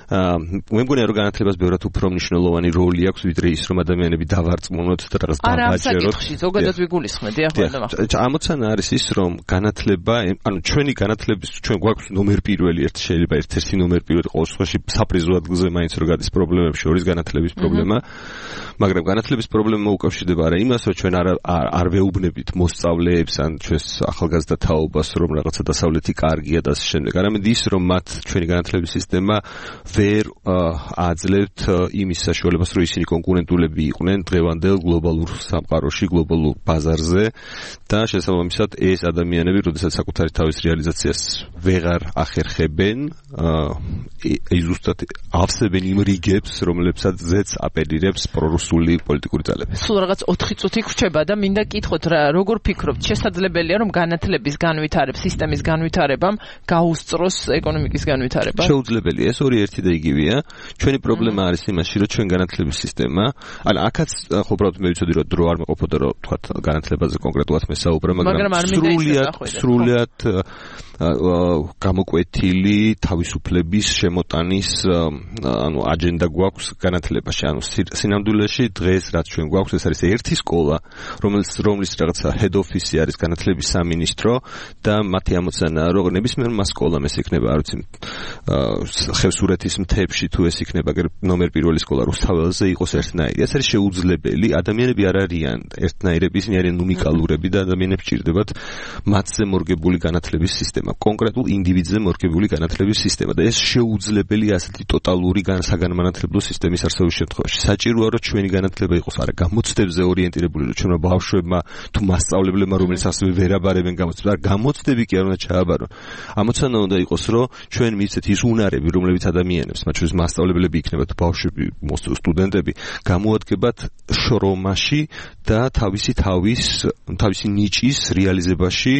მე მგონია, რომ განათლებას ბევრად უფრო მნიშვნელოვანი როლი აქვს, ვიდრე ის, რომ ადამიანები დავარწმუნოთ და რაღაც დავაჯეროთ. არა, საკითხში ზოგადად ვიგულისხმედი, ახლა ამოცანა არის ის, რომ განათლება, ანუ ჩვენი განათლების ჩვენ გვაქვს ნომერ პირველი ერთი, შეიძლება ერთ-ერთი ნომერ პირველი ყოველ შემთხვევაში საპრიზო ადგილზე მაინც რო გადის პრობლემებში შორის განათლების პრობლემა, მაგრამ განათლების პრობლემა უკავშირდება არა იმას, რომ ჩვენ არ ვეუბნებით მოსწავლეებს ან ჩვენს ახალგაზრდა თაობას, რომ რაღაცა დასავლეთი კარგია და ასე შემდეგ. არამედ ის, რომ მათ ჩვენი განათლების სისტემა ვერ აძლევთ იმის საშუალებას, რომ ისინი კონკურენტულები იყვნენ დღევანდელ გლობალურ სამყაროში, გლობალურ ბაზარზე და შესაბამისად ეს ადამიანები, როდესაც საკუთარი თავის რეალიზაციას ვეღარ ახერხებენ, ზუსტად ავსებენ იმ რიგებს, რომლებსაც აპელირებს პრორუსული პოლიტიკური ძალები. სულ რაღაც 4 წუთი გვრჩება და მინდა კითხოთ, როგორ ფიქრობთ, შესაძლებელია რომ განათლების განვითარება, სისტემის განვითარებამ გაუსწროს ეკონომიკის განვითარება? შეუძლებელია, ეს ორი ერთი და იგივეა. ჩვენი პრობლემა არის იმაში, რომ ჩვენ განათლების სისტემა, ანუ აქაც ხო უბრალოდ მე ვიცოდი, რომ დრო არ მეყოფოდა, რომ თქვა განათლებაზე კონკრეტულად მესაუბრე, მაგრამ სრულიად გამოკვეთილი თავისუფლების შემოტანის ანუ აჯენდა გვაქვს განათლებაში. ანუ სინამდვილეში დღეს რაც ჩვენ გვაქვს, ეს არის ერთი სკოლა, რომლის რაღაცა head office არის განათლების სამინისტრო და მათი ამოცანაა, რომ ნებისმიერმა სკოლამ ეს იქნება, არ ვიცი, ხევსურეთის მთებში თუ ეს იქნება ნომერ პირველი სკოლა რუსთაველზე იყოს ერთნაირი. ეს არის შეუძლებელი, ადამიანები არ არიან ერთნაირები, ისინი არიან უნიკალურები და ადამიანებს ჭირდებათ მათზე მორგებული განათლების სისტემა. კონკრეტულ ინდივიდზე მორგებული განათლების სისტემა და ეს შეუძლებელი ასეთი ტოტალური საგანმანათლებლო სისტემის არსებობის შემთხვევაში. საჭიროა რომ ჩვენი განათლება იყოს არა გამოცდებზე ორიენტირებული, რომ ჩვენმა ბავშვებმა თუ მასწავლებლებმა, რომელიც ასევე ვერ აბარებენ გამოცდებს, არა გამოცდები კი არ უნდა ჩააბარონ. ამოცანა უნდა იყოს, რომ ჩვენ მივცეთ ის უნარები, რომლებიც ადამიანებს, მათ შორის მასწავლებლები იქნებათ, ბავშვები, სტუდენტები, გამოადგებათ შრომაში და თავისი ნიჭის რეალიზებაში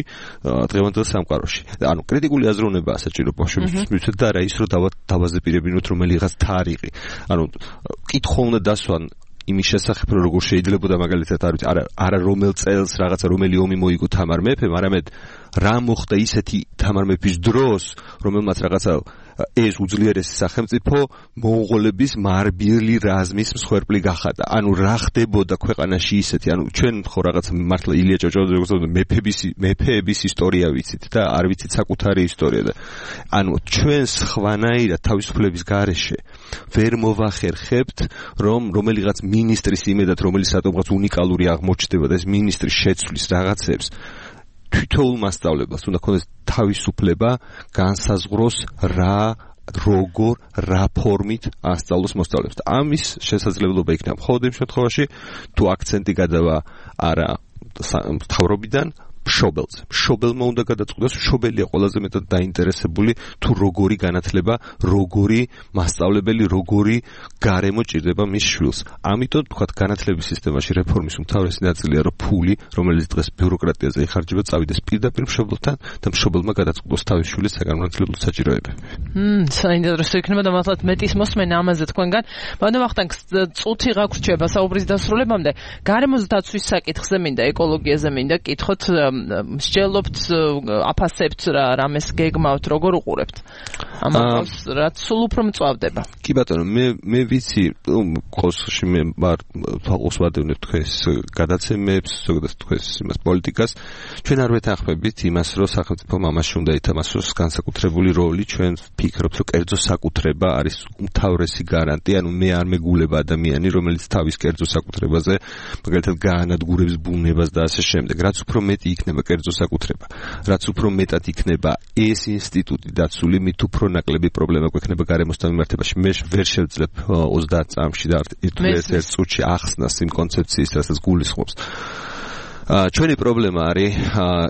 დღევანდელ სამყაროში. ანუ კრიტიკული აზროვნებაა საჭირო ბავშვებისთვის მივცეთ და არა ის, რომ დავაზეპირებინოთ რომელიღაც თარიღი. ანუ კითხვა უნდა დასვან იმის შესახებ, რომ როგორ შეიძლებოდა მაგალითად არა რომელ წელს რაღაცა რომელი ომი მოიგო თამარ მეფემ, არამედ რა მოხდა ისეთი თამარ მეფის დროს, რომელმაც რაღაცა ეს უძლიერესი სახელმწიფო მონღოლების მარბილი რაზმის მსხვერპლი გახადა. ანუ რა ხდებოდა ქვეყანაში ისეთი, ანუ ჩვენ ხო რაღაცა მართლა ილია ჭავჭავაძე მეფეების ისტორია ვიცით და არ ვიცით საკუთარი ისტორია და ანუ ჩვენ სხვანაირად თავისუფლების გარეშე ვერ მოვახერხებთ, რომ რომელიღაც მინისტრის იმედად, რომელიც რატომღაც უნიკალური აღმოჩნდება და ეს მინისტრი შეცვლის რაღაცებს, თვითოულ მასწავლებლას უნდა ქონდეს თავისუფლება განსაზღვროს რა ფორმით ასწავლოს მოსწავლეებს. და ამის შესაძლებლობა იქნება მხოლოდ იმ შემთხვევაში, თუ აქცენტი გადავა არა მთავრობიდან მშობელზე. მშობელმა უნდა გადაწყვიტოს, მშობელია ყველაზე მეტად დაინტერესებული თუ როგორი განათლება, როგორი მასწავლებელი, როგორი გარემო ჭირდება მის შვილს. ამიტომ თქვათ განათლების სისტემაში რეფორმის უმთავრესი ნაწილია, რომ ფული, რომელიც დღეს ბიუროკრატიაზე იხარჯება, წავიდეს პირდაპირ მშობელთან და მშობელმა გადაწყვიტოს თავის შვილის საგანმანათლებლო საჭიროებები. საინტერესო იქნება და მართლაც მეტის მოსმენა ამაზე თქვენგან. მაგრამ ახლა წუთი გაგვრჩება საუბრის დასრულებამდე. გარემოს დაცვის საკითხზე მინდა, ეკოლოგიაზე მინდა კითხოთ. მსჯელობთ, აფასებთ რამეს გეგმავთ, როგორ უყურებთ? ამას რაც სულ უფრო მწვავდება. კი ბატონო, მე ვიცი, ყოველში მე ვარ თვალყოს ვადევნებ თქვენს გადაცემებს, ზოგადად თქვენს იმას პოლიტიკას. ჩვენ არ ვეთანხმებით იმას, რომ სახელმწიფომ ამაში უნდა ითამაშოს განსაკუთრებული როლი. ჩვენ ვფიქრობთ, რომ კერძო საკუთრება არის უმთავრესი გარანტია, ანუ მე არ მეგულება ადამიანი, რომელიც თავის კერძო საკუთრებაზე, მაგალითად გაანადგურებს ბუნებას და ასე შემდეგ. რაც უფრო მეტი იქნება კერძო საკუთრება, რაც უფრო მეტად იქნება ეს ინსტიტუტი დაცული, მით უფრო ნაკლები პრობლემა გვექნება გარემოსთან მიმართებაში. მე ვერ შევძლებ 30 წამში და ერთ წუთში ახსნას იმ კონცეფციის, რასაც გულისხმობს. ჩვენი პრობლემა არის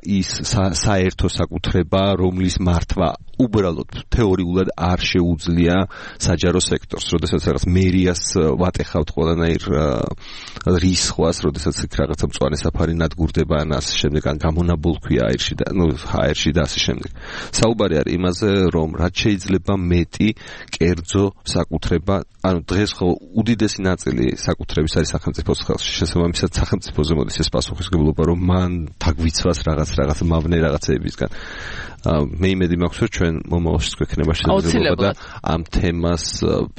ის საერთო საკუთრება, რომლის მართვა უბრალოდ თეორიულად არ შეუძლია საჯარო სექტორს, როდესაც რაღაც მერიას ვატეხავთ ყველანაირ რისხვას, როდესაც იქ რაღაცა მწვანე საფარი ნადგურდება ან ასე შემდეგ, ან გამონაბოლქვია აერში და ასე შემდეგ. საუბარი არის იმაზე, რომ რაც შეიძლება მეტი კერძო საკუთრება, ანუ დღეს ხო უდიდესი ნაწილი საკუთრების არის სახელმწიფოს ხელში. შესაბამისად სახელმწიფოზე მოდის ეს პასუხისმგებლობა, რომ მან თაგვიცვას რაღაც მავნე რაღაცეებისგან. მე იმედი მაქვს, რომ ჩვენ მომავალში გვექნება შესაძლებლობა და ამ თემას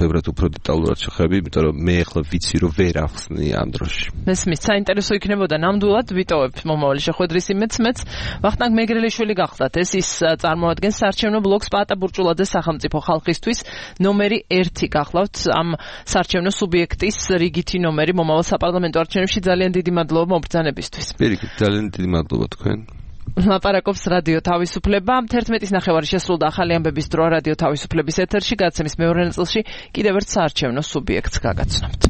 ბევრად უფრო დეტალურად შევხვდები, იმიტომ რომ მე ახლა ვიცი, რომ ვერ ახსნი ამ დროში. მესმის, საინტერესო იქნებოდა ნამდვილად ვიტოვებთ მომავალი შეხვედრის იმედს. ვახტანგ მეგრელიშვილი გახლავთ, ეს ის წარმოადგენს საარჩევნო ბლოკს პაატა ბურჭულაძე სახელმწიფო ხალხისთვის ნომერი 1 გახლავთ ამ საარჩევნო სუბიექტის რიგითი ნომერი მომავალ საპარლამენტო არჩევნებში. ძალიან დიდი მადლობა მობრძანებისთვის. პირიქით, ძალიან დიდი მადლობა თქვენ. ლაპარაკობს რადიო თავისუფლება. 11:09 შესრულდა ახალი ამბების დრო რადიო თავისუფლების ეთერში. გადაცემის მეორე ნაწილში კიდევ ერთ საარჩევნო სუბიექტს გაგაცნობთ.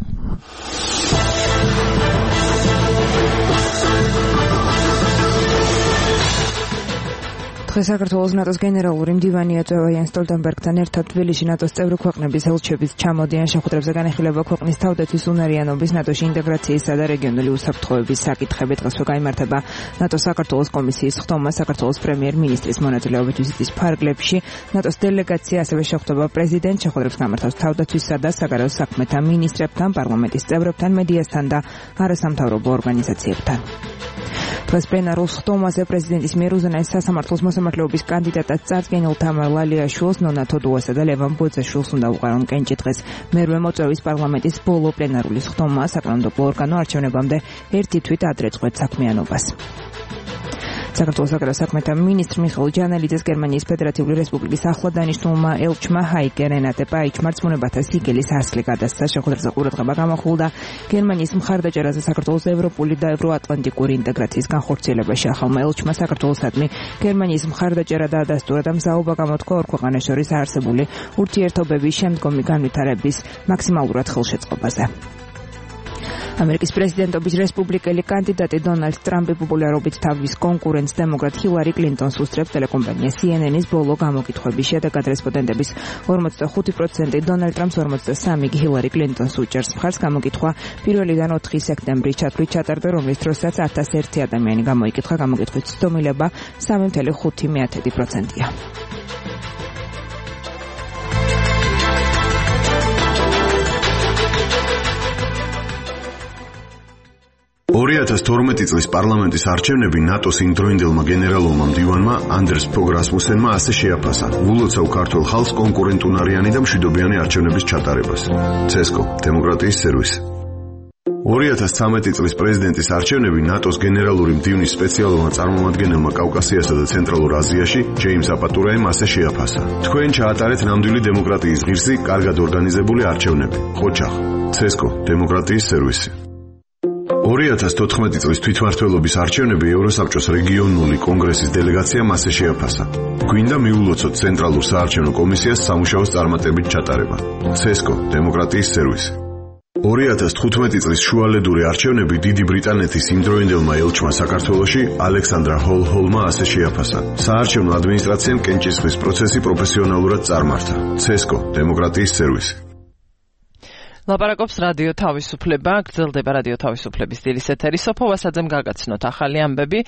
დღეს საქართველოს ნატოს გენერალური მდივანი ეწევა იან სტოლტენბერგთან ერთად თბილისში ნატოს წევრი ქვეყნების ელჩების ჩამოდიან შეხვედრებზე განეხილება ქვეყნის თავდაცვის უნარიანობის, ნატოში ინტეგრაციისა და რეგიონული უსაფრთხოების საკითხები. დღეს გაიმართება ნატოს საქართველოს კომისიის ხდომა საქართველოს პრემიერ-მინისტრის მონაწილეობით ვიზიტის ფარგლებში. ნატოს დელეგაცია ასევე შეხვდება პრეზიდენტს, შეხვედრებს გამართავს თავდაცვისა და საგარეო საქმეთა მინისტრებთან, პარლამენტის წევრებთან, მედიასთან და არასამთავრობო ორგანიზაციებთან. დღეს პლენარულ ხდომაზე პრეზიდენტის მიერ უზენაეს სასამართლოს მოსამართლეობის კანდიდატად წარდგენილ თამარ ლალიაშვილს, ნონა თოდუასა და ლევან ბოძაშვილს უნდა უყარონ კენჭი. დღეს მერვე მოწვევის პარლამენტის ბოლო პლენარული ხდომა საკანონმდებლო ორგანო არჩევნებამდე ერთი თვით ადრე წყვეტ საქმიანობას. საქართველოს საგარეო საქმეთა მინისტრ მიხეილ ჯანელიძეს გერმანიის ფედერატიული რესპუბლიკის ახლად დანიშნულმა ელჩმა ჰაიკე რენატე პაიჩმა რწმუნებათა სიგელის ასლი გადასცა. შეხვედრაზე ყურადღება გამახვილდა გერმანიის მხარდაჭერაზე საქართველოს ევროპული და ევროატლანტიკური ინტეგრაციის განხორციელებაში. ახალმა ელჩმა საქართველოსადმი გერმანიის მხარდაჭერა დაადასტურა და მზაობა გამოთქვა ორ ქვეყანას შორის არსებული ურთიერთობების შემდგომი განვითარების მაქსიმალურად ხელშეწყობაზე. ამერიკის პრეზიდენტობის რესპუბლიკელი კანდიდატი დონალდ ტრამპი პოპულარობით თავის კონკურენტს დემოკრატ ჰილარი კლინტონს უსწრებს. ტელეკომპანია CNN-ის ბოლო გამოკითხვების შედეგად რესპონდენტების 45% დონალდ ტრამპს, 43% ჰილარი კლინტონს უჭერს მხარს. გამოკითხვა 1-დან 4 სექტემბრის ჩათვლით ჩატარდა, რომლის დროსაც 1001 ადამიანი გამოიკითხა. გამოკითხვის ცდომილება 3.5%-ია. 2012 წლის პარლამენტის არჩევნები ნატოს იმდროინდელმა გენერალურმა მდივანმა ანდერს ფოგ რასმუსენმა ასე შეაფასა: "ვულოცავ ქართულ ხალხს კონკურენტუნარიანი და მშვიდობიანი არჩევნების ჩატარებას." CESCO დემოკრატიის სერვისი. 2013 წლის პრეზიდენტის არჩევნები ნატოს გენერალური მდივნის სპეციალურმა წარმომადგენელმა კავკასიასა და ცენტრალურ აზიაში ჯეიმს აპატურაემ ასე შეაფასა: "თქვენ ჩაატარეთ ნამდვილი დემოკრატიის ღირსი, კარგად ორგანიზებული არჩევნები." ხოჩახ. CESCO დემოკრატიის სერვისი. 2014 წლის თვითმმართველობის არჩევნები ევროსაბჭოს რეგიონული კონგრესის დელეგაციამ ასე შეაფასა: "გვინდა მიულოცოთ ცენტრალურ საარჩევნო კომისიას სამუშაოს წარმატებით ჩატარება." CESCO დემოკრატიის სერვისი. 2015 წლის შუალედური არჩევნები დიდი ბრიტანეთის იმდროინდელმა ელჩმა საქართველოში ალექსანდრა ჰოლჰოლმა ასე შეაფასა: "საარჩევნო ადმინისტრაციამ კენჭისყრის პროცესი პროფესიონალურად წარმართა." CESCO დემოკრატიის სერვისი. ლაპარაკობს რადიო თავისუფლება, გრძელდება რადიო თავისუფლების დილის ეთერი. სოფო ვასაძემ გაგაცნოთ ახალი ამბები.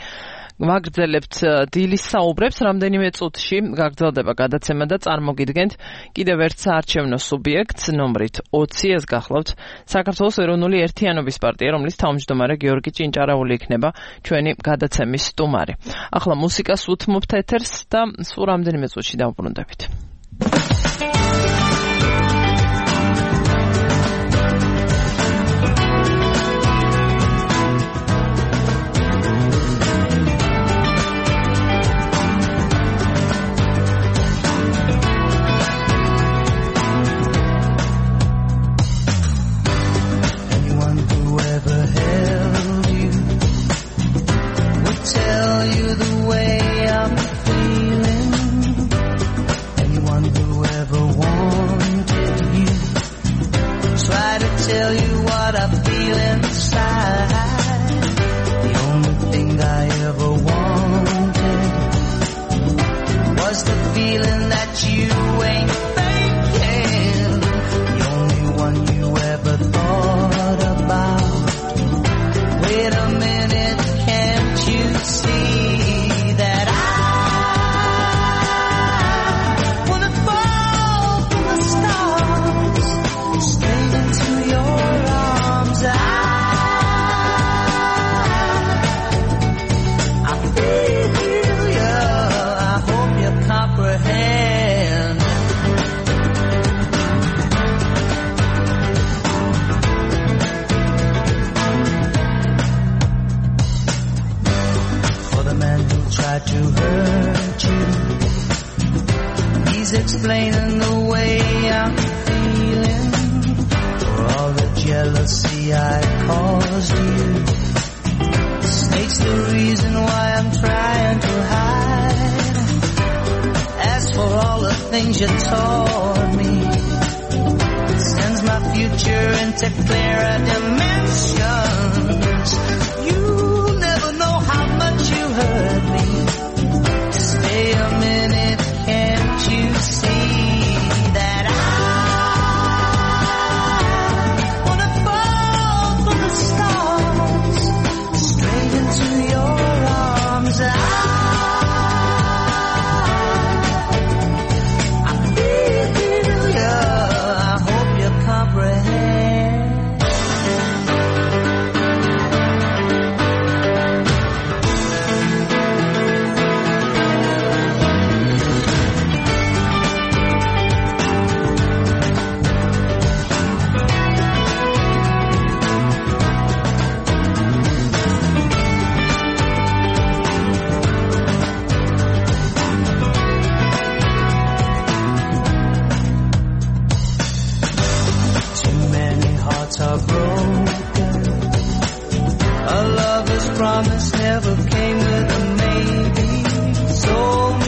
ვაგრძელებთ დილის საუბრებს, რამდენიმე წუთში გაგრძელდება გადაცემა და წარმოგიდგენთ კიდევ ერთ საარჩევნო სუბიექტს ნომრით 20. ეს გახლავთ საქართველოს ეროვნული ერთიანობის პარტია, რომლის თავმჯდომარე გიორგი ჭინჭარაული იქნება ჩვენი გადაცემის სტუმარი. ახლა მუსიკას უთმობთ ეთერს და სულ რამდენიმე წუთში დავბრუნდებით. Explaining the way I'm feeling for all the jealousy I caused you. States the reason why I'm trying to hide. As for all the things you taught me, sends my future into clearer dimensions. You never know how much you hurt me. Stay a minute, can't you see that I wanna fall from the stars straight into your arms? I feel you, I hope you comprehend. Promise never came with a maybe. So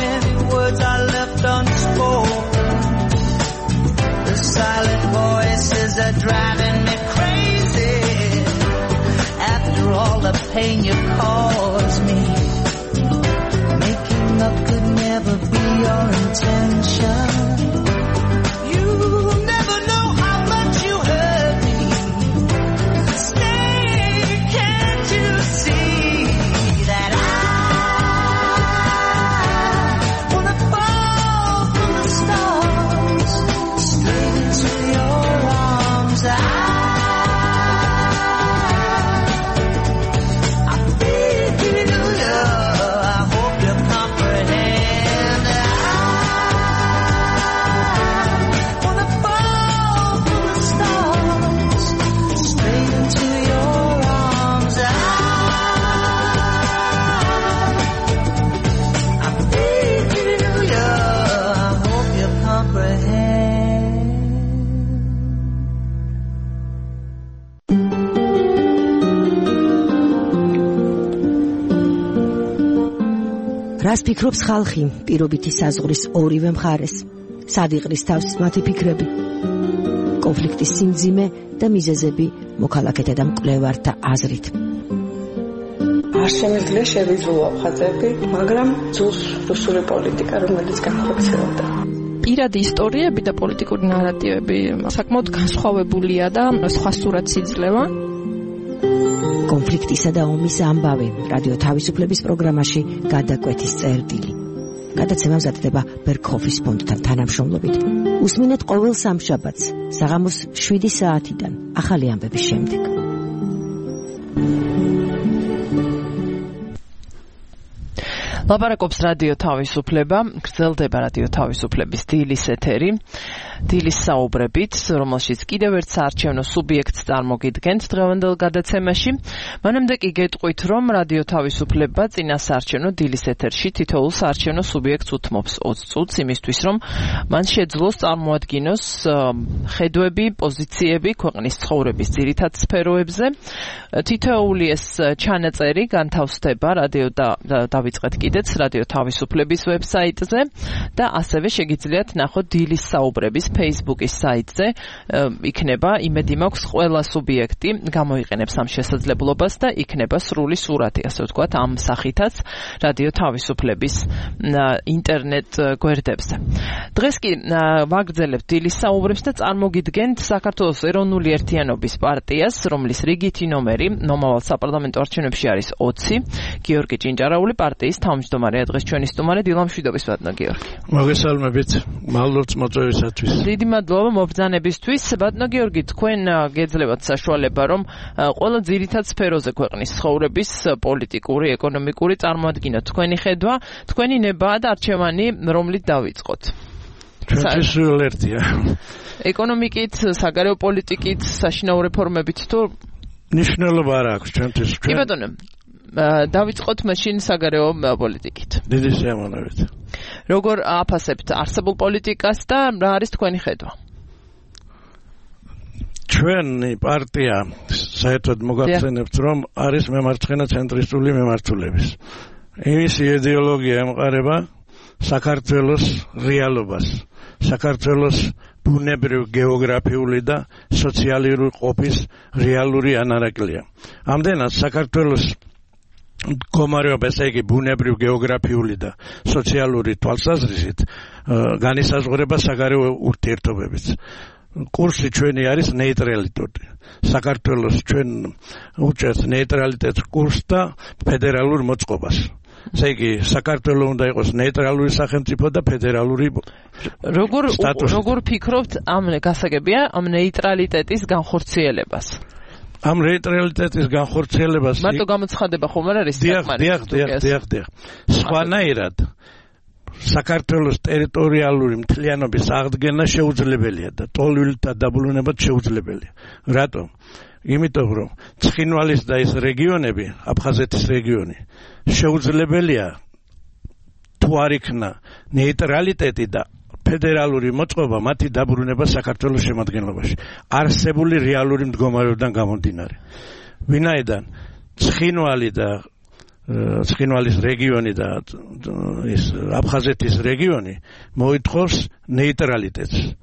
many words I left unspoken. The silent voices are driving me crazy. After all the pain you caused me, making up could never be your intention. You never know how much you hurt me. Stay, can't you see? რას ფიქრობს ხალხი პირობითი საზღვრის ორივე მხარეს? სად იყრის თავს მათი ფიქრები? კონფლიქტის სიმძიმე და მიზეზები მოქალაქეთა და მკვლევართა აზრით. არ შემიძლია შევიძულო ხაზები, მაგრამ ძულს რუსული პოლიტიკა, რომელიც განხორციელდა. პირადი ისტორიები და პოლიტიკური ნარატივები საკმაოდ განსხვავებულია და სხვა სურათს იძლევა. კონფლიქტისა და ომის ამბავი რადიო თავისუფლების პროგრამაში გადაკვეთის წერტილი. გადაცემა მზადდება ბერქჰოფის ფონდთან თანამშრომლობით. უსმინეთ ყოველ სამშაბათს საღამოს 7 საათიდან ახალი ამბების შემდეგ. ლაპარაკობს რადიო თავისუფლება, გრძელდება რადიო თავისუფლების დილის ეთერი, დილის საუბრებით, რომელშიც კიდევ ერთ საარჩევნო სუბიექტს წარმოგიდგენთ დღევანდელ გადაცემაში. მანამდე კი გეტყვით, რომ რადიო თავისუფლება წინა საარჩევნო დილის ეთერში თითოეულ საარჩევნო სუბიექტს უთმობს 20 წუთს იმისთვის, რომ მან შეძლოს წარმოადგინოს ხედვები, პოზიციები ქვეყნის ცხოვრების ძირითად სფეროებზე. თითოეული ეს ჩანაწერი განთავსდება რადიო დავიწყეთ კიდეც რადიო თავისუფლების ვებსაიტზე და ასევე შეგიძლიათ ნახოთ დილის საუბრების Facebook-ის საიტზე. იქნება იმედი მაქვს ყველა სუბიექტი გამოიყენებს ამ შესაძლებლობას და იქნება სრული სურათი, ასე ვთქვათ, ამ სახითაც რადიო თავისუფლების ინტერნეტ გვერდებზე. დღეს კი ვაგრძელებთ დილის საუბრებს და წარმოგიდგენთ საქართველოს ეროვნული ერთიანობის პარტიას, რომლის რიგითი ნომერი მომავალ საპარლამენტო არჩევნებში არის 20. გიორგი ჭინჭარაული პარტიის თავმჯდომარეა დღეს ჩვენი სტუმარი. დილამშვიდობის ბატონო გიორგი. მოგესალმებით. მადლობთ მოწვევისათვის. დიდი მადლობა მობრძანებისთვის. ბატონო გიორგი, თქვენ გეძლებათ საშუალება, რომ ყველა ძირითად სფეროზე ქვეყნის ცხოვრების პოლიტიკური, ეკონომიკური წარმოადგინოთ თქვენი ხედვა, თქვენი ნება და არჩევანი, რომლით დავიწყოთ. ჩვენთვის სულ ერთია. ეკონომიკით, საგარეო პოლიტიკით, საშინაო რეფორმებით თუ ნიშნულობა არ აქვს ჩვენთვის. კი ბატონო, დავიწყოთ მაშინ საგარეო პოლიტიკით. დიდი სიამოვნებით. როგორ აფასებთ არსებულ პოლიტიკას და რა არის თქვენი ხედვა? ჩვენი პარტია საერთოდ მოგახსენებთ, რომ არის მემარცხენე ცენტრისტული მემართულების. იმის იდეოლოგია ემყარება საქართველოს რეალობას, საქართველოს ბუნებრივ გეოგრაფიული და სოციალური ყოფის რეალური ანარაკლია. ამდენად საქართველოს მდგომარეობა, ესე იგი ბუნებრივ გეოგრაფიული და სოციალური თვალსაზრისით განისაზღვრება საგარეო ურთიერთობებით. კურსი ჩვენი არის ნეიტრალიტეტი. საქართველოს ჩვენ უჭერთ ნეიტრალიტეტს კურსს და ფედერალურ მოწყობას. ესე იგი საქართველოს უნდა იყოს ნეიტრალური სახელმწიფო და ფედერალური სტატუსი. როგორ ფიქრობთ ამ გასაგებია ამ ნეიტრალიტეტის განხორციელებას? ამ ნეიტრალიტეტის განხორციელებას მარტო გამოცხადება ხომ არ არის დიახ. სხვანაირად საქართველოს ტერიტორიალური მთლიანობის აღდგენა შეუძლებელია და ტოლვილთა დაბრუნება შეუძლებელია. რატომ? იმიტომ რომ ცხინვალის და ეს რეგიონები, აფხაზეთის რეგიონი შეუძლებელია თუ არ იქნა ნეიტრალიტეტი და ფედერალური მოწყობა მათი დაბრუნება საქართველოს შემადგენლობაში. არსებული რეალური მდგომარეობიდან გამომდინარე. ვინაიდან ცხინვალი და ცხინვალის რეგიონი და ეს აფხაზეთის რეგიონი მოითხოვს ნეიტრალიტეტს.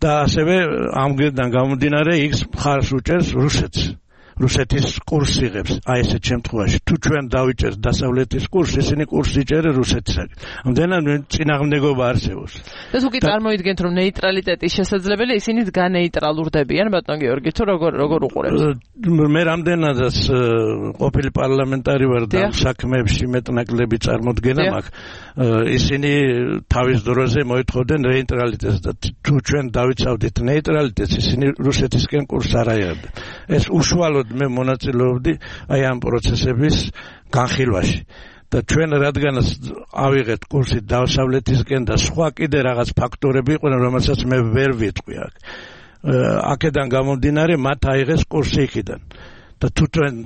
და ასევე ამგერიდან გამომდინარე იქ მხარს უჭერს რუსეთს. რუსეთის კურსს იღებს. აი ესეთ შემთხვევაში თუ ჩვენ დავიჭერთ დასავლეთის კურსს, ისინი კურსს იჭერენ რუსეთისაგან. ამდენად წინააღმდეგობა არსებობს. და თუ კი წარმოიდგენთ, რომ ნეიტრალიტეტის შესაძლებელია, ისინი განეიტრალურდებიან, ბატონო გიორგი, თუ როგორ უყურებთ? მე რამდენადაც ყოფილი პარლამენტარი ვარ და საქმეებში მეტნაკლები წარმოდგენა მაქვს, ისინი თავის დროზე მოითხოვდნენ ნეიტრალიტეტს და თუ ჩვენ დავიცავდით ნეიტრალიტეტს, ისინი რუსეთისკენ კურსს არ აიღებდნენ. ეს უშუალოდ მე მონაწილეობდი აი ამ პროცესების განხილვაში და ჩვენ რადგანაც ავიღეთ კურსი დასავლეთისკენ და სხვა კიდე რაღაც ფაქტორები იყვნენ, რომელსაც მე ვერ ვიტყვი აქ. აქედან გამომდინარე მათ აიღეს კურსი იქიდან და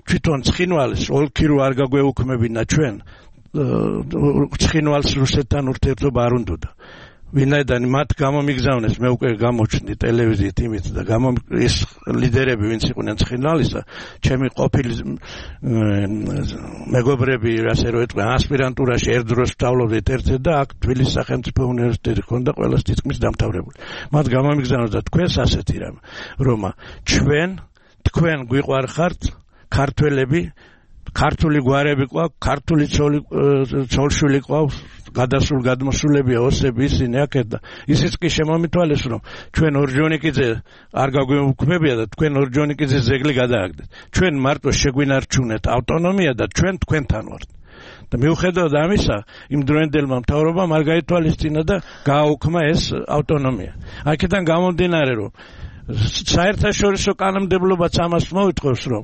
თვითონ ცხინვალის ოლქი რო არ გაგვეუქმებინა ჩვენ ცხინვალს რუსეთთან ურთიერთობა არ უნდოდა. ვინაიდან მათ გამომიგზავნეს, მე უკვე გამოჩნდი ტელევიზიით იმით და ეს ლიდერები ვინც იყვნენ ცხინვალისა, ჩემი ყოფილი მეგობრები, ასე რომ ეთქვი, ასპირანტურაში ერთდროს ვსწავლობდით ერთად და აქ თბილისის სახელმწიფო უნივერსიტეტი ჰქონდა ყველას თითქმის დამთავრებული. მათ გამომიგზავნეს და თქვენს ასეთი რამ, რომ თქვენ გვიყვარხართ ქართველები, ქართული გვარები ყავს, ქართული ცოლშვილი ყავს, გადასულ გადმოსულებია ოსები ისინი აქეთ და ისიც კი შემომითვალეს რომ ჩვენ ორჯონიკიძე არ გაგვეუქმებია და თქვენ ორჯონიკიძეს ზეგლი გადააგდეთ. ჩვენ მარტო შეგვინარჩუნეთ ავტონომია და ჩვენ თქვენთან ვართ. და მიუხედავად ამისა, იმ დროინდელმა მთავრობამ არ გაითვალისწინა და გააუქმა ეს ავტონომია. აქედან გამომდინარე რომ საერთაშორისო კანონმდებლობაც ამას მოითხოვს რომ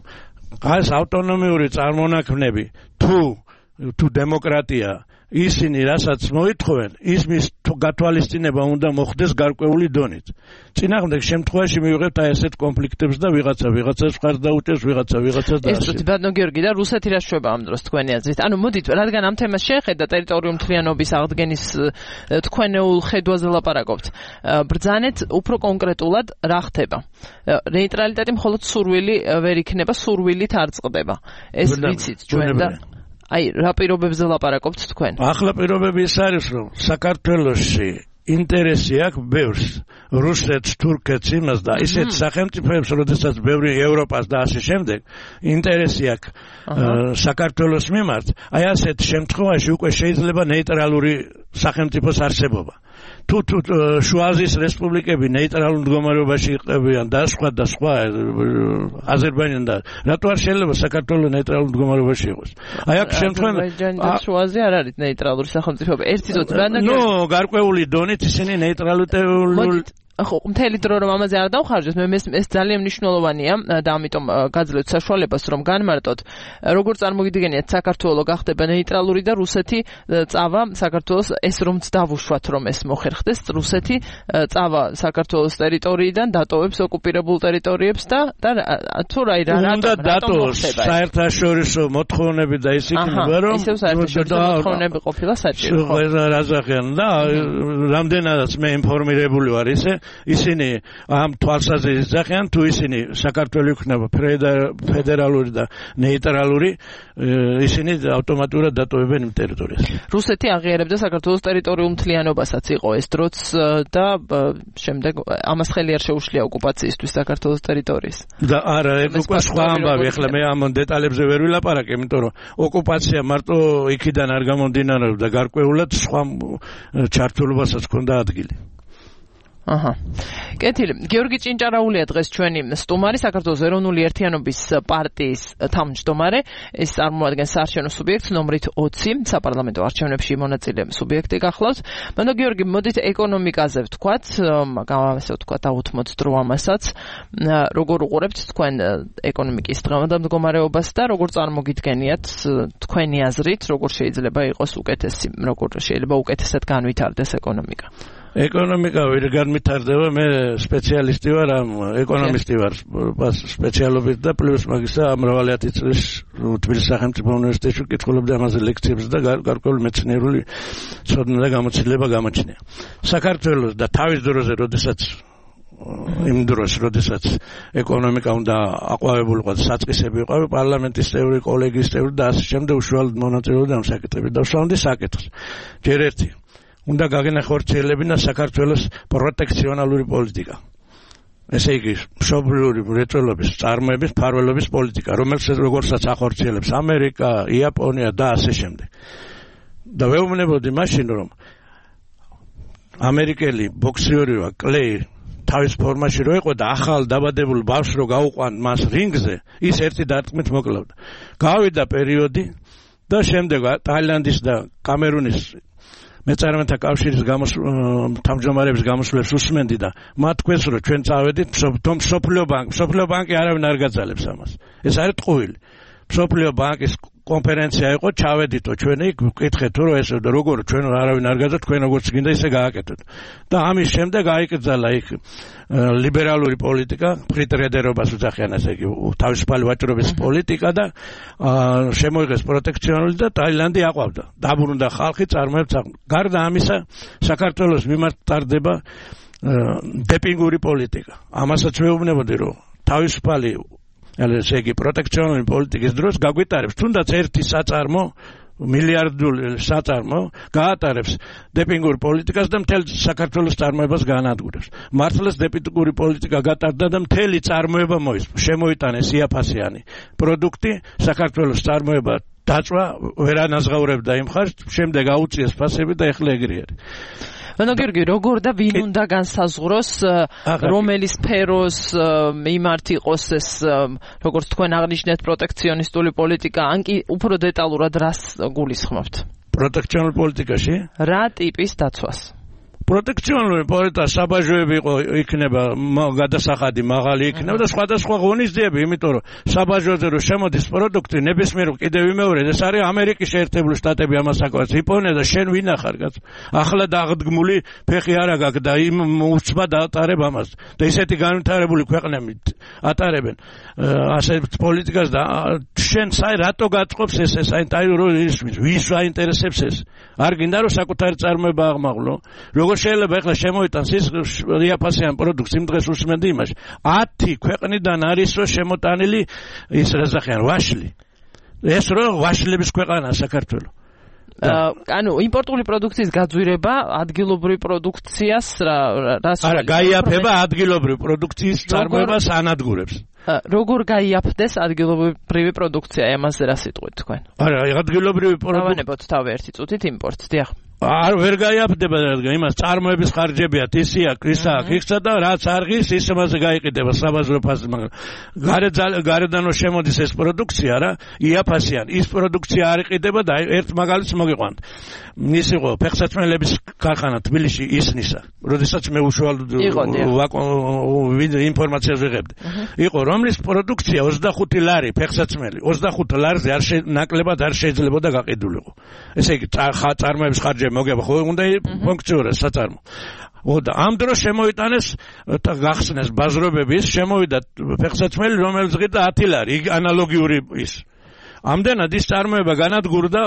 ეს ავტონომიური წარმონაქმნები თუ დემოკრატია ისინი რასაც მოითხოვენ ისმის გათვალისწინება უნდა მოხდეს გარკვეული დონით. წინააღმდეგ შემთხვევაში მივიღებთ აი ესეთ კონფლიქტებს და ვიღაცას მხარს დაუჭერს, ვიღაცას და ასე. ეს ბატონო გიორგი და რუსეთი რა შვება ამ დროს თქვენი აზრით? ანუ მოდით, რადგან ამ თემას შეხედა ტერიტორიულ მთლიანობის აღდგენის თქვენეულ ხედვაზე ლაპარაკობთ. ბრძანეთ უფრო კონკრეტულად რა ხდება? ნეიტრალიტეტი მხოლოდ სურვილი ვერ იქნება, სურვილით არ წყდება. ეს ვიცით ჩვენ და აი რა პირობებზე ლაპარაკობთ თქვენ? ახლა პირობები ის არის რომ საქართველოში ინტერესი აქვს ბევრს რუსეთს, თურქეთს იმას და ისეთ სახელმწიფოებს, როდესაც ბევრი ევროპას და ასე შემდეგ ინტერესი აქვს საქართველოს მიმართ, აი ასეთ შემთხვევაში უკვე შეიძლება ნეიტრალური სახელმწიფოს არსებობა. თუ შუა აზიის რესპუბლიკები ნეიტრალურ მდგომარეობაში იყებიან და სხვა აზერბაიჯანი და რატო არ შეიძლება საქართველოს ნეიტრალურ მდგომარეობაში იყოს? აი აქ შემთხვევაში აზერბაიჯანი და შუა აზია არ არის ნეიტრალური სახელმწიფოები. ერთი ზოგი გარკვეული დონით ისინი ნეიტრალიტეტული ხო, მთელი დრო რომ ამაზე არ დავხარჯოთ, ეს ძალიან მნიშვნელოვანია და ამიტომ გაძლევთ საშუალებას რომ განმარტოთ, როგორ წარმოგიდგენიათ საქართველოს გახდება ნეიტრალური და რუსეთი წავა საქართველოს ეს რომც დავუშვათ რომ ეს მოხერხდეს, რუსეთი წავა საქართველოს ტერიტორიიდან დატოვებს ოკუპირებულ ტერიტორიებს და თუ უნდა დატოვოს საერთაშორისო მოთხოვნები და ის იქნება რომ ისევ საერთაშორისო მოთხოვნები ყოფილა საჭირო. ხო, რაზახიან და რამდენადაც მე ინფორმირებული ვარ ისინი ამ თვალსაზრისით ძახიან თუ ისინი საქართველოს იქნება ფედერალური და ნეიტრალური ისინი ავტომატურად დატოვებენ იმ ტერიტორიას. რუსეთი აღიარებდა საქართველოს ტერიტორიულ მთლიანობასაც იყო ეს დროც და შემდეგ ამას ხელი არ შეუშლია ოკუპაციისთვის საქართველოს ტერიტორიის. და არა, ეგ უკვე სხვა ამბავი, ახლა მე ამ დეტალებზე ვერ ვილაპარაკე, იმიტომ რომ ოკუპაცია მარტო იქიდან არ გამომდინარეობდა, გარკვეულად სხვა ჩართულობასაც ჰქონდა ადგილი. აჰა. კეთილი. გიორგი ჭინჭარაულია დღეს ჩვენი სტუმარი, საქართველოს ეროვნული ერთიანობის პარტიის თავმჯდომარე. ეს წარმოადგენს საარჩევნო სუბიექტს ნომრით 20 საპარლამენტო არჩევნებში მონაწილე სუბიექტი გახლავს. ბატონო გიორგი, მოდით ეკონომიკაზე ვთქვათ, ასე ვთქვათ, დაუთმოთ დრო ამასაც. როგორ უყურებთ თქვენ ეკონომიკის დღევანდელ და როგორ წარმოგიდგენიათ თქვენი აზრით, როგორ შეიძლება იყოს უკეთესი, როგორ შეიძლება უკეთესად განვითარდეს ეკონომიკა? ეკონომიკა ვერ განვითარდება, მე სპეციალისტი ვარ, ეკონომისტი ვარ სპეციალობით და პლუს მაგისა მრავალი ათი წლის თბილისის სახელმწიფო უნივერსიტეტში კითხულობდი ამაზე ლექციებს და გარკვეული მეცნიერული ცოდნა და გამოცდილება გამოჩნია. საქართველოს და თავის დროზე, იმ დროს, როდესაც ეკონომიკა უნდა აყვავებულიყო, საწყისები იყო პარლამენტის წევრი, კოლეგიის წევრი და ასე შემდეგ უშუალოდ მონაწილეობდა ამ საკითხებში და ვსვამდი საკითხს. ჯერ ერთი უნდა გაგენახორციელებინა საქართველოს პროტექციონალური პოლიტიკა. ესე იგი, მშობლიური მრეწველობის, წარმოების, მფარველობის პოლიტიკა, როგორცაც ახორციელებს ამერიკა, იაპონია და ასე შემდეგ. და ვეუბნებოდი მაშინ, რომ ამერიკელი ბოქსიორი კლეი თავის ფორმაში რო იყო და ახალ დაბადებულ ბავშვს რო გაუყვან მას რინგზე, ის ერთი დარტყმით მოკლავდა. გავიდა პერიოდი და შემდეგ ტაილანდის და კამერუნის მეწარმეთა კავშირის თავმჯდომარეების გამოსვლებს უსმენდი და მათ თქვენს რომ ჩვენ წავედით მსოფლიო ბანკი არავინ არ გაძალებს ამას. ეს არის ტყუილი. მსოფლიო ბანკის კონფერენცია იყო, ჩავედითო ჩვენი, ვკითხეთ რომ ეს როგორ ჩვენ არავინ არ გაძა, თქვენ როგორც გინდა ისე გააკეთოთ. და ამის შემდეგ აიკრძალა იქ ლიბერალური პოლიტიკა, ფრიტრედერობას უძახიან, ესე იგი, თავისუფალი ვაჭრობის პოლიტიკა და შემოიღეს პროტექციონული და ტაილანდი აყვავდა. დაბრუნდა ხალხი, წარმოებს. გარდა ამისა, საქართველოს მიმართ ტარდება დეპინგური პოლიტიკა. ამასაც ვეუბნებოდი, რომ თავისუფალი ესე იგი პროტექციონული პოლიტიკის დროს გაგვიტარებს თუნდაც ერთი საწარმო მილიარდული საწარმო გაატარებს დეპინგურ პოლიტიკას და მთელ საქართველოს წარმოებას განადგურებს. მართლაც დეპინგური პოლიტიკა გატარდა და მთელი წარმოება შემოიტანეს იაფასიანი პროდუქტი, საქართველოს წარმოება დაწვა ვერ ანაზღაურებდა იმ ხარჯს, შემდეგ აუწიეს ფასები და ეხლა ეგრე არის. ანუ გიორგი, როგორ და ვინ უნდა განსაზღვროს, რომელი სფეროს მიმართ იყოს ეს, როგორც თქვენ აღნიშნეთ, პროტექციონისტული პოლიტიკა, ან კი უფრო დეტალურად რას გულისხმობთ? პროტექციონული პოლიტიკაში? რა ტიპის დაცვას? პროტექციონული პოლიტიკა საბაჟოები იქნება გადასახადი მაღალი იქნება და სხვადასხვა ღონისძიებები, იმიტომ რომ საბაჟოზე რომ შემოდის პროდუქტი, ნებისმიერ კიდევ ვიმეორებ, ეს არის ამერიკის შეერთებული შტატები ამას აკეთებს, იაპონია და შენ ვინ ახარ კაც? ახლა დაღდგმული ფეხი არა გაქვს და იმ უცბად ატარებ ამას. და ისეთი განვითარებული ქვეყნები ატარებენ ასე პოლიტიკას და შენ საერთოდ რატო გაწყობს ეს ვის აინტერესებს ეს? არ გინდა რომ საკუთარი წარმოება აღმაღლო? როგორ შეიძლება ახლა შემოიტანს ის იაფასიან პროდუქტს იმ დღეს უსმენდი იმაში 10 ქვეყნიდან არის რომ შემოტანილი ის რაზახიან ვაშლი ეს რომ ვაშლების ქვეყანაა საქართველო ანუ იმპორტული პროდუქციის გაძვირება ადგილობრივ პროდუქციას რას არა გაიაფება ადგილობრივ პროდუქციის წარმოებას ანადგურებს როგორ გაიაფდეს ადგილობრივი პროდუქცია ამაზე რა სიტყვით თქვენ არა ადგილობრივი პროდუქცია დავანებოთ თავი ერთი წუთით იმპორტს დიახ არ ვერ გაიაფდება რადგან იმას წარმოების ხარჯებია ისია ისა და რაც არღის ის მასე გაიყიდება საბაზრო ფასი მაგრამ გარედან რომ შემოდის ეს პროდუქცია რა იაფასიან ის პროდუქცია არ იყიდება და ერთ მაგალითს მოგიყვანთ ის იყო ფეხსაცმელების ქარხანა თბილისში ისნისა როდესაც მე უშუალოდ ინფორმაციას ვიღებდი იყო რომლის პროდუქცია 25 ლარი ფეხსაცმელი 25 ლარზე არ ნაკლებად არ შეიძლებოდა გაყიდულიყო ესე იგი წარმოების ხარჯები მოგება ხო უნდა ფუნქციონირდეს საწარმო. და ამ დროს შემოიტანეს გახსნეს ბაზრობების, შემოვიდა ფეხსაცმელი, რომელიც ღირდა 10 ლარი, ანალოგიური ის. ამდენად ის წარმოება განადგურდა,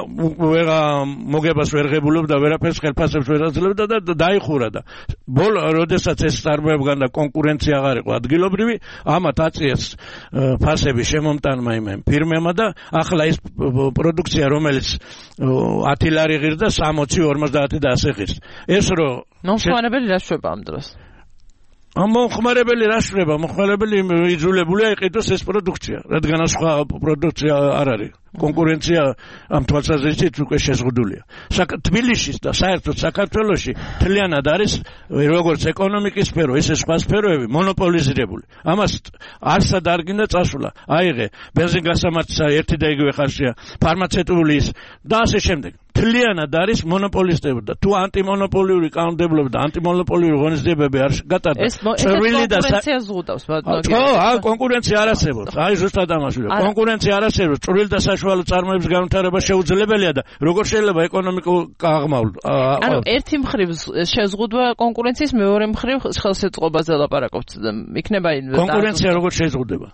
მოგებას ვერ ღებულობდა, ვერაფერს ხელფასებს ვერ აძლევდა და დაიხურა და ბოლო როდესაც ეს წარმოებგან და კონკურენცია აღარ იყო ადგილობრივი, ამათ აწიეს ფასები შემომტანმა იმ ფირმებმა და ახლა ის პროდუქცია რომელიც 10 ლარი ღირდა 60, 50 და ასე ღირს. ეს რომ მომხმარებელი რა შვება ამ დროს? მომხმარებელი რა შვება? მომხმარებელი იძულებულია იყიდოს ეს პროდუქცია, რადგან სხვა პროდუქცია არ არის. კონკურენცია ამ თვალსაზრისით უკვე შეზღუდულია. თბილისში და საერთოდ საქართველოში მთლიანად არის როგორც ეკონომიკის სფერო, ისე სხვა სფეროები მონოპოლიზირებული. ამას არსად არ გინდა წასვლა. აიღე ბენზინგასამართსა ერთი და იგივე ხარჯია, ფარმაცევტული და ასე შემდეგ. მთლიანად არის მონოპოლისტები და თუ ანტიმონოპოლიური კანონმდებლობა და ანტიმონოპოლიური ღონისძიებები არ გატარდა. წვრილი და კონკურენცია ზღუდავს. ხო, კონკურენცია არ არსებობს. აი ზუსტად ამაშია. კონკურენცია არ არსებობს. წვრილი და საშუალო წარმოების განვითარება შეუძლებელია და როგორ შეიძლება ეკონომიკურ აღმავლო. ანუ ერთი მხრივ შეზღუდვა კონკურენციის, მეორე მხრივ ხელშეწყობაზე ლაპარაკობთ. იქნება კონკურენცია როგორ შეზღუდება?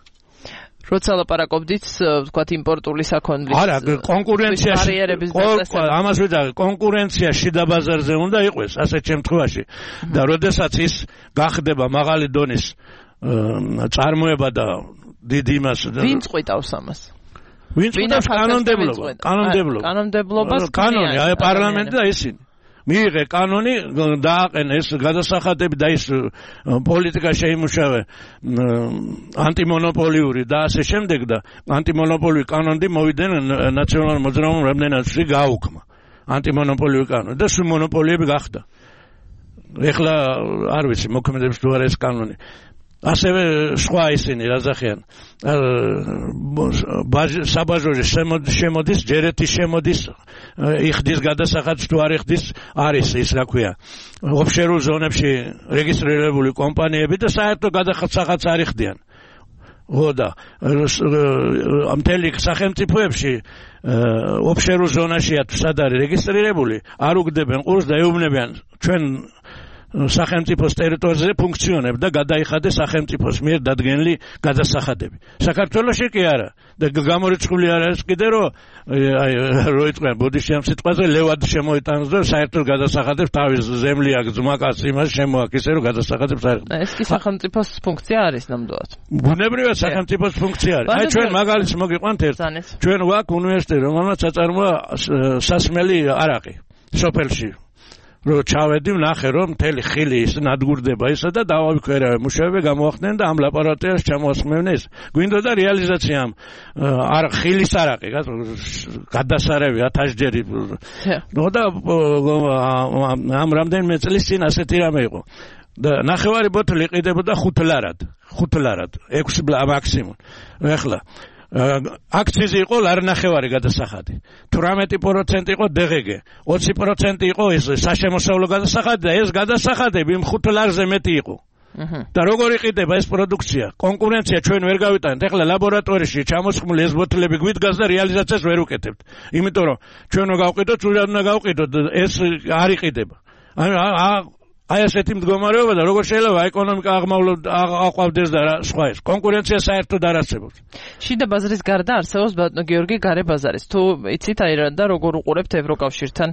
როცა ლაპარაკობდით, ვთქვათ, იმპორტული საქონლის არა, კონკურენციაში ამას ვიტყვი, კონკურენცია შიდა ბაზარზე უნდა იყოს ასეთ შემთხვევაში და როდესაც ის გახდება მაღალი დონის წარმოება და დიდი იმას ვინ წყვიტავს ამას? ვინ წყვიტავს კანონმდებლობას? კანონი, აი პარლამენტი და ისინი. მიიღე კანონი, დააყენე ეს გადასახადები და ის პოლიტიკა შეიმუშავე ანტიმონოპოლიური და ასე შემდეგ და ანტიმონოპოლიური კანონი მოვიდნენ ნაციონალურ მოძრაობამ რამდენადში გააუქმა ანტიმონოპოლიური კანონი და სულ მონოპოლიები გახდა. ეხლა არ ვიცი მოქმედებს თუ არა ეს კანონი. ასევე სხვა ისინი რაზახიან საბაჟოჟე შემოდის ჯერეთი შემოდის იხდის გადასახადს თუ არ იხდის არის ის რა ქვია ოფშორულ ზონებში რეგისტრირებული კომპანიები და საერთო გადასახადს არ იხდიან და მთელი სახელმწიფოებში ოფშორულ ზონაშია თუ სად არის რეგისტრირებული არ უგდებენ ყურს და ეუბნებიან ჩვენ სახელმწიფოს ტერიტორიაზე ფუნქციონებს და გადაიხადეს სახელმწიფოს მიერ დადგენილი გადასახადები. საქართველოში კი არა და გამორიცხული არ არის კიდე რომ როიტყვიან ბოდიში ამ სიტყვაზე ლევად შემოიტანს და საერთოდ გადასახადებს თავის ზემლი აქვს ძმაკაც იმას შემოაქვს ისე რომ გადასახადებს არ ეს კი სახელმწიფოს ფუნქცია არის ნამდვილად. ბუნებრივად სახელმწიფოს ფუნქცია არის. აი ჩვენ მაგალითს მოგიყვანთ ერთ ჩვენ ვაქვს უნივერსიტეტი რომელმაც აწარმოა სასმელი არაყი სოფელში რომ ჩავედი ვნახე რომ მთელი ხილი ის ნადგურდება ისა და დავავიქვერავე მუშაობები გამოახდნენ და ამ ლაბორატორიაში ჩამოასხმევდნენ ეს გვინდოდა რეალიზაცია არ ხილის არაყი გადასარევი 1000-ჯერი და ამ რამდენიმე წლის წინ ასეთი რამე იყო და ნახევარი ბოთლი იყიდებოდა 5 ლარად 6 მაქსიმუმ ეხლა აქციზი იყო ლარნახევარი გადასახადი 18% იყო დეგეგე 20% იყო ეს საშემოსავლო გადასახადი და ეს გადასახადები იმ 5 ლარზე მეტი იყო და როგორ იყიდება ეს პროდუქცია კონკურენცია ჩვენ ვერ გავიტანეთ ეხლა ლაბორატორიაში ჩამოსხმული ეს ბოთლები გვიდგას და რეალიზაციას ვერ უკეთებთ იმიტომ რომ ჩვენ რო გავყიდოთ სულად უნდა გავყიდოთ ეს არ იყიდება აი ასეთი მდგომარეობა და როგორ შეიძლება ეკონომიკა აყვავდეს და სხვა ეს კონკურენცია საერთოდ არ არსებობს. შიდა ბაზრის გარდა არსებობს ბატონო გიორგი გარე ბაზარიც. თუ იცით აი რა და როგორ უყურებთ ევროკავშირთან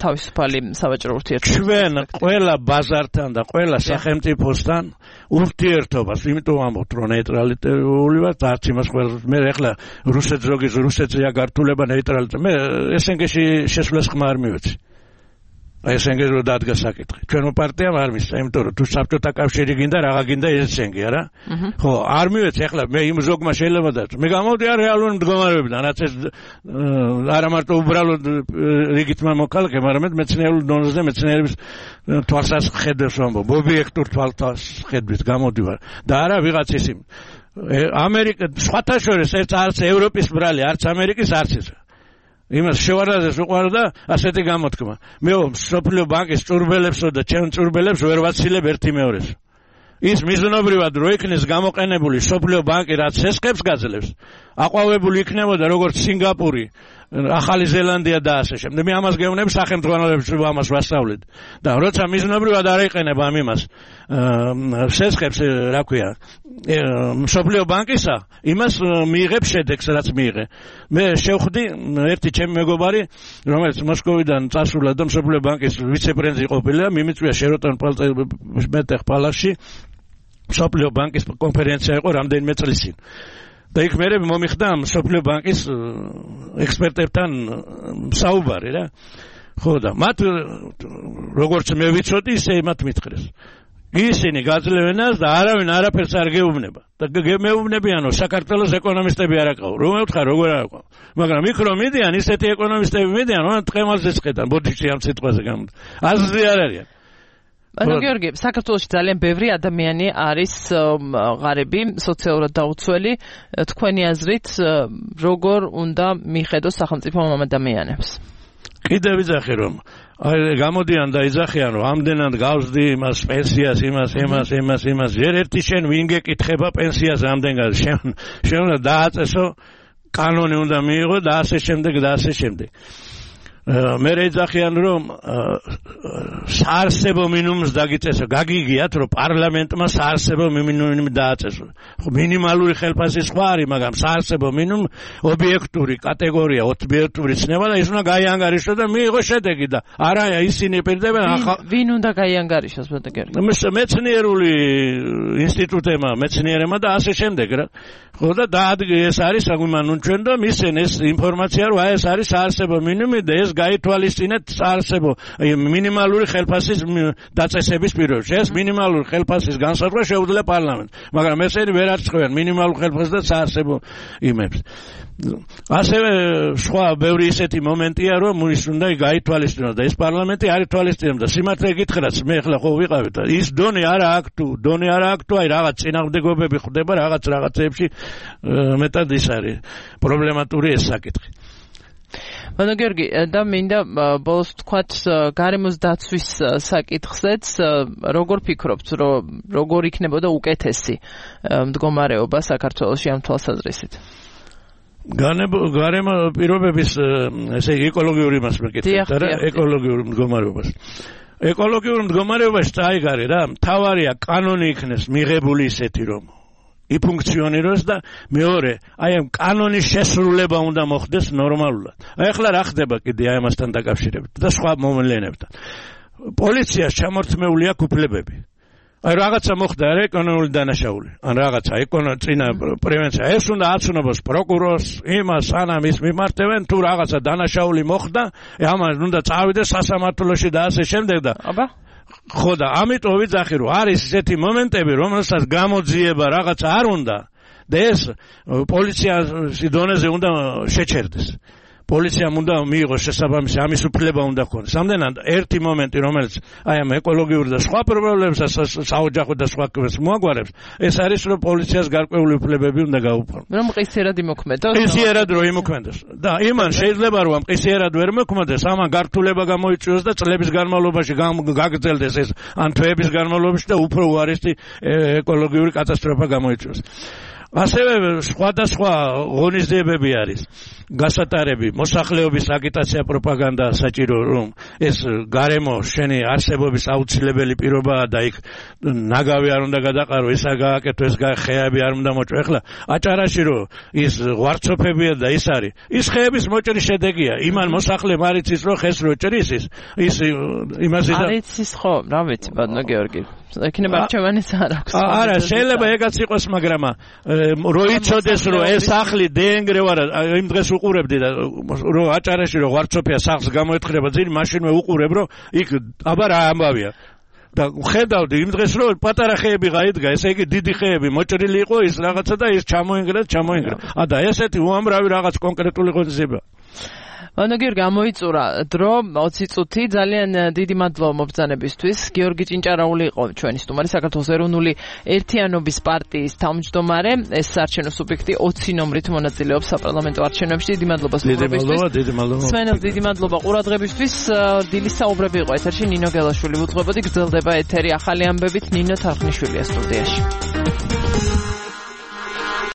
თავისუფალი სავაჭრო ურთიერთობებს? ჩვენ ყველა ბაზართან და ყველა სახელმწიფოსთან ურთიერთობას, იმიტომ ამბობთ რომ ნეიტრალიტეტული ვართ, არც იმას ყველას მე ეხლა რუსეთზეა გართულება ნეიტრალიტეტი. მე SNG-ში შესვლას ხმა არ მივეცი. SNG რო დადგა საკითხი. ჩვენო პარტიამ არ მისცა, იმიტომ რომ თუ საბჭოთა კავშირი გინდა, რაღა გინდა SNG, არა? ხო, არ მივეცი, ახლა მე იმ ზოგმა შეიძლება და მე გამოვდი არ რეალური მდგომარეობიდან, რაც ეს არა მარტო უბრალოდ რიგით მომქალკე, მაგრამ მეცნიერულ დონეზე მეცნიერების თვალსაჩინოს ვამბობ, ობიექტურ თვალსაჩინოს გამოდივარ და არა ვიღაც ის ამერიკა სხვათა შორის არც ევროპის ბრალი, არც ამერიკის არც ის იმას შევარდაზე უყარდა ასეთი გამოთქმა. მე სოფლიო ბანკის წურბელებსო და ჩემ წურბელებს ვერ ვაცილებ ერთი მეორეს. ის მიზნობრივად რო იქნეს გამოყენებული სოფლიო ბანკი რაც სესხებს გაძლევს, აყვავებული იქნებოდა როგორც სინგაპური, ახალი ზელანდია და ასე შემდეგ. მე ამას გეუბნები სახელმწიფოებს ამას ვასწავლეთ. და როცა მიზნობრივად არ იყენება ამ იმას სესხებს, რა ქვია, სოფლიო ბანკისა, იმას მიიღებ შედეგს, რაც მიიღე. მე შევხვდი ერთი ჩემი მეგობარი, რომელიც მოსკოვიდან წასულა და სოფლიო ბანკის ვიცე-პრეზიდენტი ყოფილა, მიმიწვია შეროტონ პალასში სოფლიო ბანკის კონფერენცია იყო რამდენიმე წლის წინ. და იქ მე მომიხდა სოფლიო ბანკის ექსპერტებთან საუბარი რა. ხო და მათ როგორც მე ვიცოდი, ისე მათ მითხრეს. ისინი გაძლევენას და არავინ არაფერს არ გეუბნება. და მეუბნებიანო საქართველოს ეკონომისტები არ აყავ. რომ მევთხარ როგორ არ აყავ. მაგრამ იქ რომ მიდიან ისეთი ეკონომისტები მიდიან, რომ ტყემალზეც ხედან ბოდიში ამ სიტყვაზე გამოდი. აზრი არ არიან. ანუ გიორგი, საქართველოში ძალიან ბევრი ადამიანი არის ღარიბი, სოციალურად დაუცველი. თქვენი აზრით, როგორ უნდა მიხედოს სახელმწიფო ამ ადამიანებს? კიდევ ვიძახი რომ გამოდიან და იძახიან რომ ამდენად გავსდი იმას პენსიას, იმას. ჯერ ერთი შენ ვინ გეკითხება პენსიას ამდენ გავს? შენ უნდა დააწესო, კანონი უნდა მიიღო და ასე შემდეგ. მე ეძახიან რომ საარსებო მინიმუმს დაგიწესო, გაგიგიათ რომ პარლამენტმა საარსებო მინიმუმი დააწესო. ხო მინიმალური ხელფასი სხვა არის, მაგრამ საარსებო მინიმუმ ობიექტური კატეგორია, ობიექტური ცნება და ის უნდა გაიანგარიშოს და მიიღო შედეგი და არა ისინი პირდებენ ვინ უნდა გაიანგარიშოს ბატონო? მეცნიერული ინსტიტუტებმა, მეცნიერებმა და ასე შემდეგ რა. ხო და ეს არის საგვიმანო ჩვენ და მისცენ ეს ინფორმაცია რომ ეს არის საარსებო მინიმუმი და ეს გაითვალისწინეთ საარსებო მინიმალური ხელფასის დაწესების პირობებში. ეს მინიმალური ხელფასის განსაზღვრა შეუძლია პარლამენტს, მაგრამ ესენი ვერ არწყვიან მინიმალურ ხელფასს და საარსებო იმებს. ასევე სხვა ბევრი ისეთი მომენტია, რომ ის უნდა გაითვალისწინოს და ეს პარლამენტი არ ითვალისწინებდა. სიმართლე გითხრათ, მე ახლა ხო ვიყავით, ის დონე არა აქ თუ, აი რაღაც წინააღმდეგობები ხდება რაღაცებში, მეტად ის არის პრობლემატური ეს საკითხი. ბატონო გიორგი, და მინდა ბოლოს თქვათ გარემოს დაცვის საკითხზეც, როგორ ფიქრობთ, რომ როგორ იქნებოდა უკეთესი მდგომარეობა საქართველოში ამ თვალსაზრისით? გარემო პირობების ესე ეკოლოგიური იმას მეკითხეთ, არა ეკოლოგიური მდგომარეობას. ეკოლოგიური მდგომარეობაში წაიგარე რა, მთავარია კანონი იქნეს მიღებული ისეთი რომ იფუნქციონიროს და მეორე, აი ამ კანონის შესრულება უნდა მოხდეს ნორმალურად. აი ახლა რა ხდება კიდე აი ამასთან დაკავშირებით და სხვა მოვლენებთან. პოლიციას ჩამორთმეული აქვს უფლებები. აი რაღაცა მოხდა რა ეკონომიკური დანაშაული ან რაღაცა წინა პრევენცია ეს უნდა აცნობს პროკურორს იმას სანამ ის მიმართებენ თუ რაღაცა დანაშაული მოხდა ამას უნდა წავიდეს სასამართლოში და ასე შემდეგ და აბა ხო და ამიტომ ვიძახი რომ არის ესეთი მომენტები რომელსაც გამოძიება რაღაცა არ უნდა და ეს პოლიციის დონეზე უნდა შეჩერდეს პოლიციამ უნდა მიიღოს შესაბამისი ამის უფლება უნდა ქონდეს. Ამდენად ერთი მომენტი რომელიც აი ამ ეკოლოგიურ და სხვა პრობლემებსაც საოჯახო და სხვა კვებს მოაგვარებს, ეს არის რომ პოლიციას გარკვეული უფლებები უნდა გაუფორმოს. რომ მყისიერად იმოქმედოს. მყისიერად რომ იმოქმედოს. და იმან შეიძლება რომ მყისიერად ვერ მოქმედოს, ამან გართულება გამოიწვიოს და წლების განმავლობაში გაგრძელდეს ეს ან თვეების განმავლობაში და უფრო უარესი ეკოლოგიური კატასტროფა გამოიწვიოს. ასევე სხვადასხვა ღონისძიებები არის გასატარები მოსახლეობის აგიტაცია პროპაგანდა საჭირო რომ ეს გარემო შენი არსებობის აუცილებელი პირობაა და იქ ნაგავი არ უნდა გადაყარო ესა გააკეთო ეს ხეები არ უნდა მოჭრო ეხლა აჭარაში რომ ის ვარცოფებია და ის არის ის ხეების მოჭრის შედეგია იმან მოსახლემ არ იცის რომ ხეს რო ჭრის ის იმაზე არ იცის ხო რა ვიცი ბატონო გეორგი ექნება არჩევანის არ აქვს არა შეიძლება ეგაც იყოს მაგრამ რო იცოდეს რომ ეს სახლი დენგრევ არა იმ დღეს უყურებდი და რომ აჭარაში რომ ვარცოფია სახლს გამოეთხრება ძილი მაშინვე უყურებ რომ იქ აბა რა ამბავია და ხედავდი იმ დღეს რომ პატარა ხეები გაიდგა ესე იგი დიდი ხეები მოჭრილი იყო ის რაღაცა და ის ჩამოინგრა და ესეთი უამრავი რაღაც კონკრეტული ღონისძიება ანუ გიორგი გამოიწურა დრო 20 წუთი ძალიან დიდი მადლობა მობრძანებისთვის გიორგი ჭინჭარაული იყო ჩვენი სტუმარი საქართველოს ეროვნული ერთიანობის პარტიის თავმჯდომარე ეს საარჩევნო სუბიექტი 20 ნომრით მონაწილეობს საპარლამენტო არჩევნებში დიდი მადლობა სვენელს დიდი მადლობა ყურადღებისთვის დილის საუბრები იყო ეთერში ნინო გელაშვილი უძღვებოდი გრძელდება ეთერი ახალი ამბებით ნინო თარხნიშვილია სტუდიაში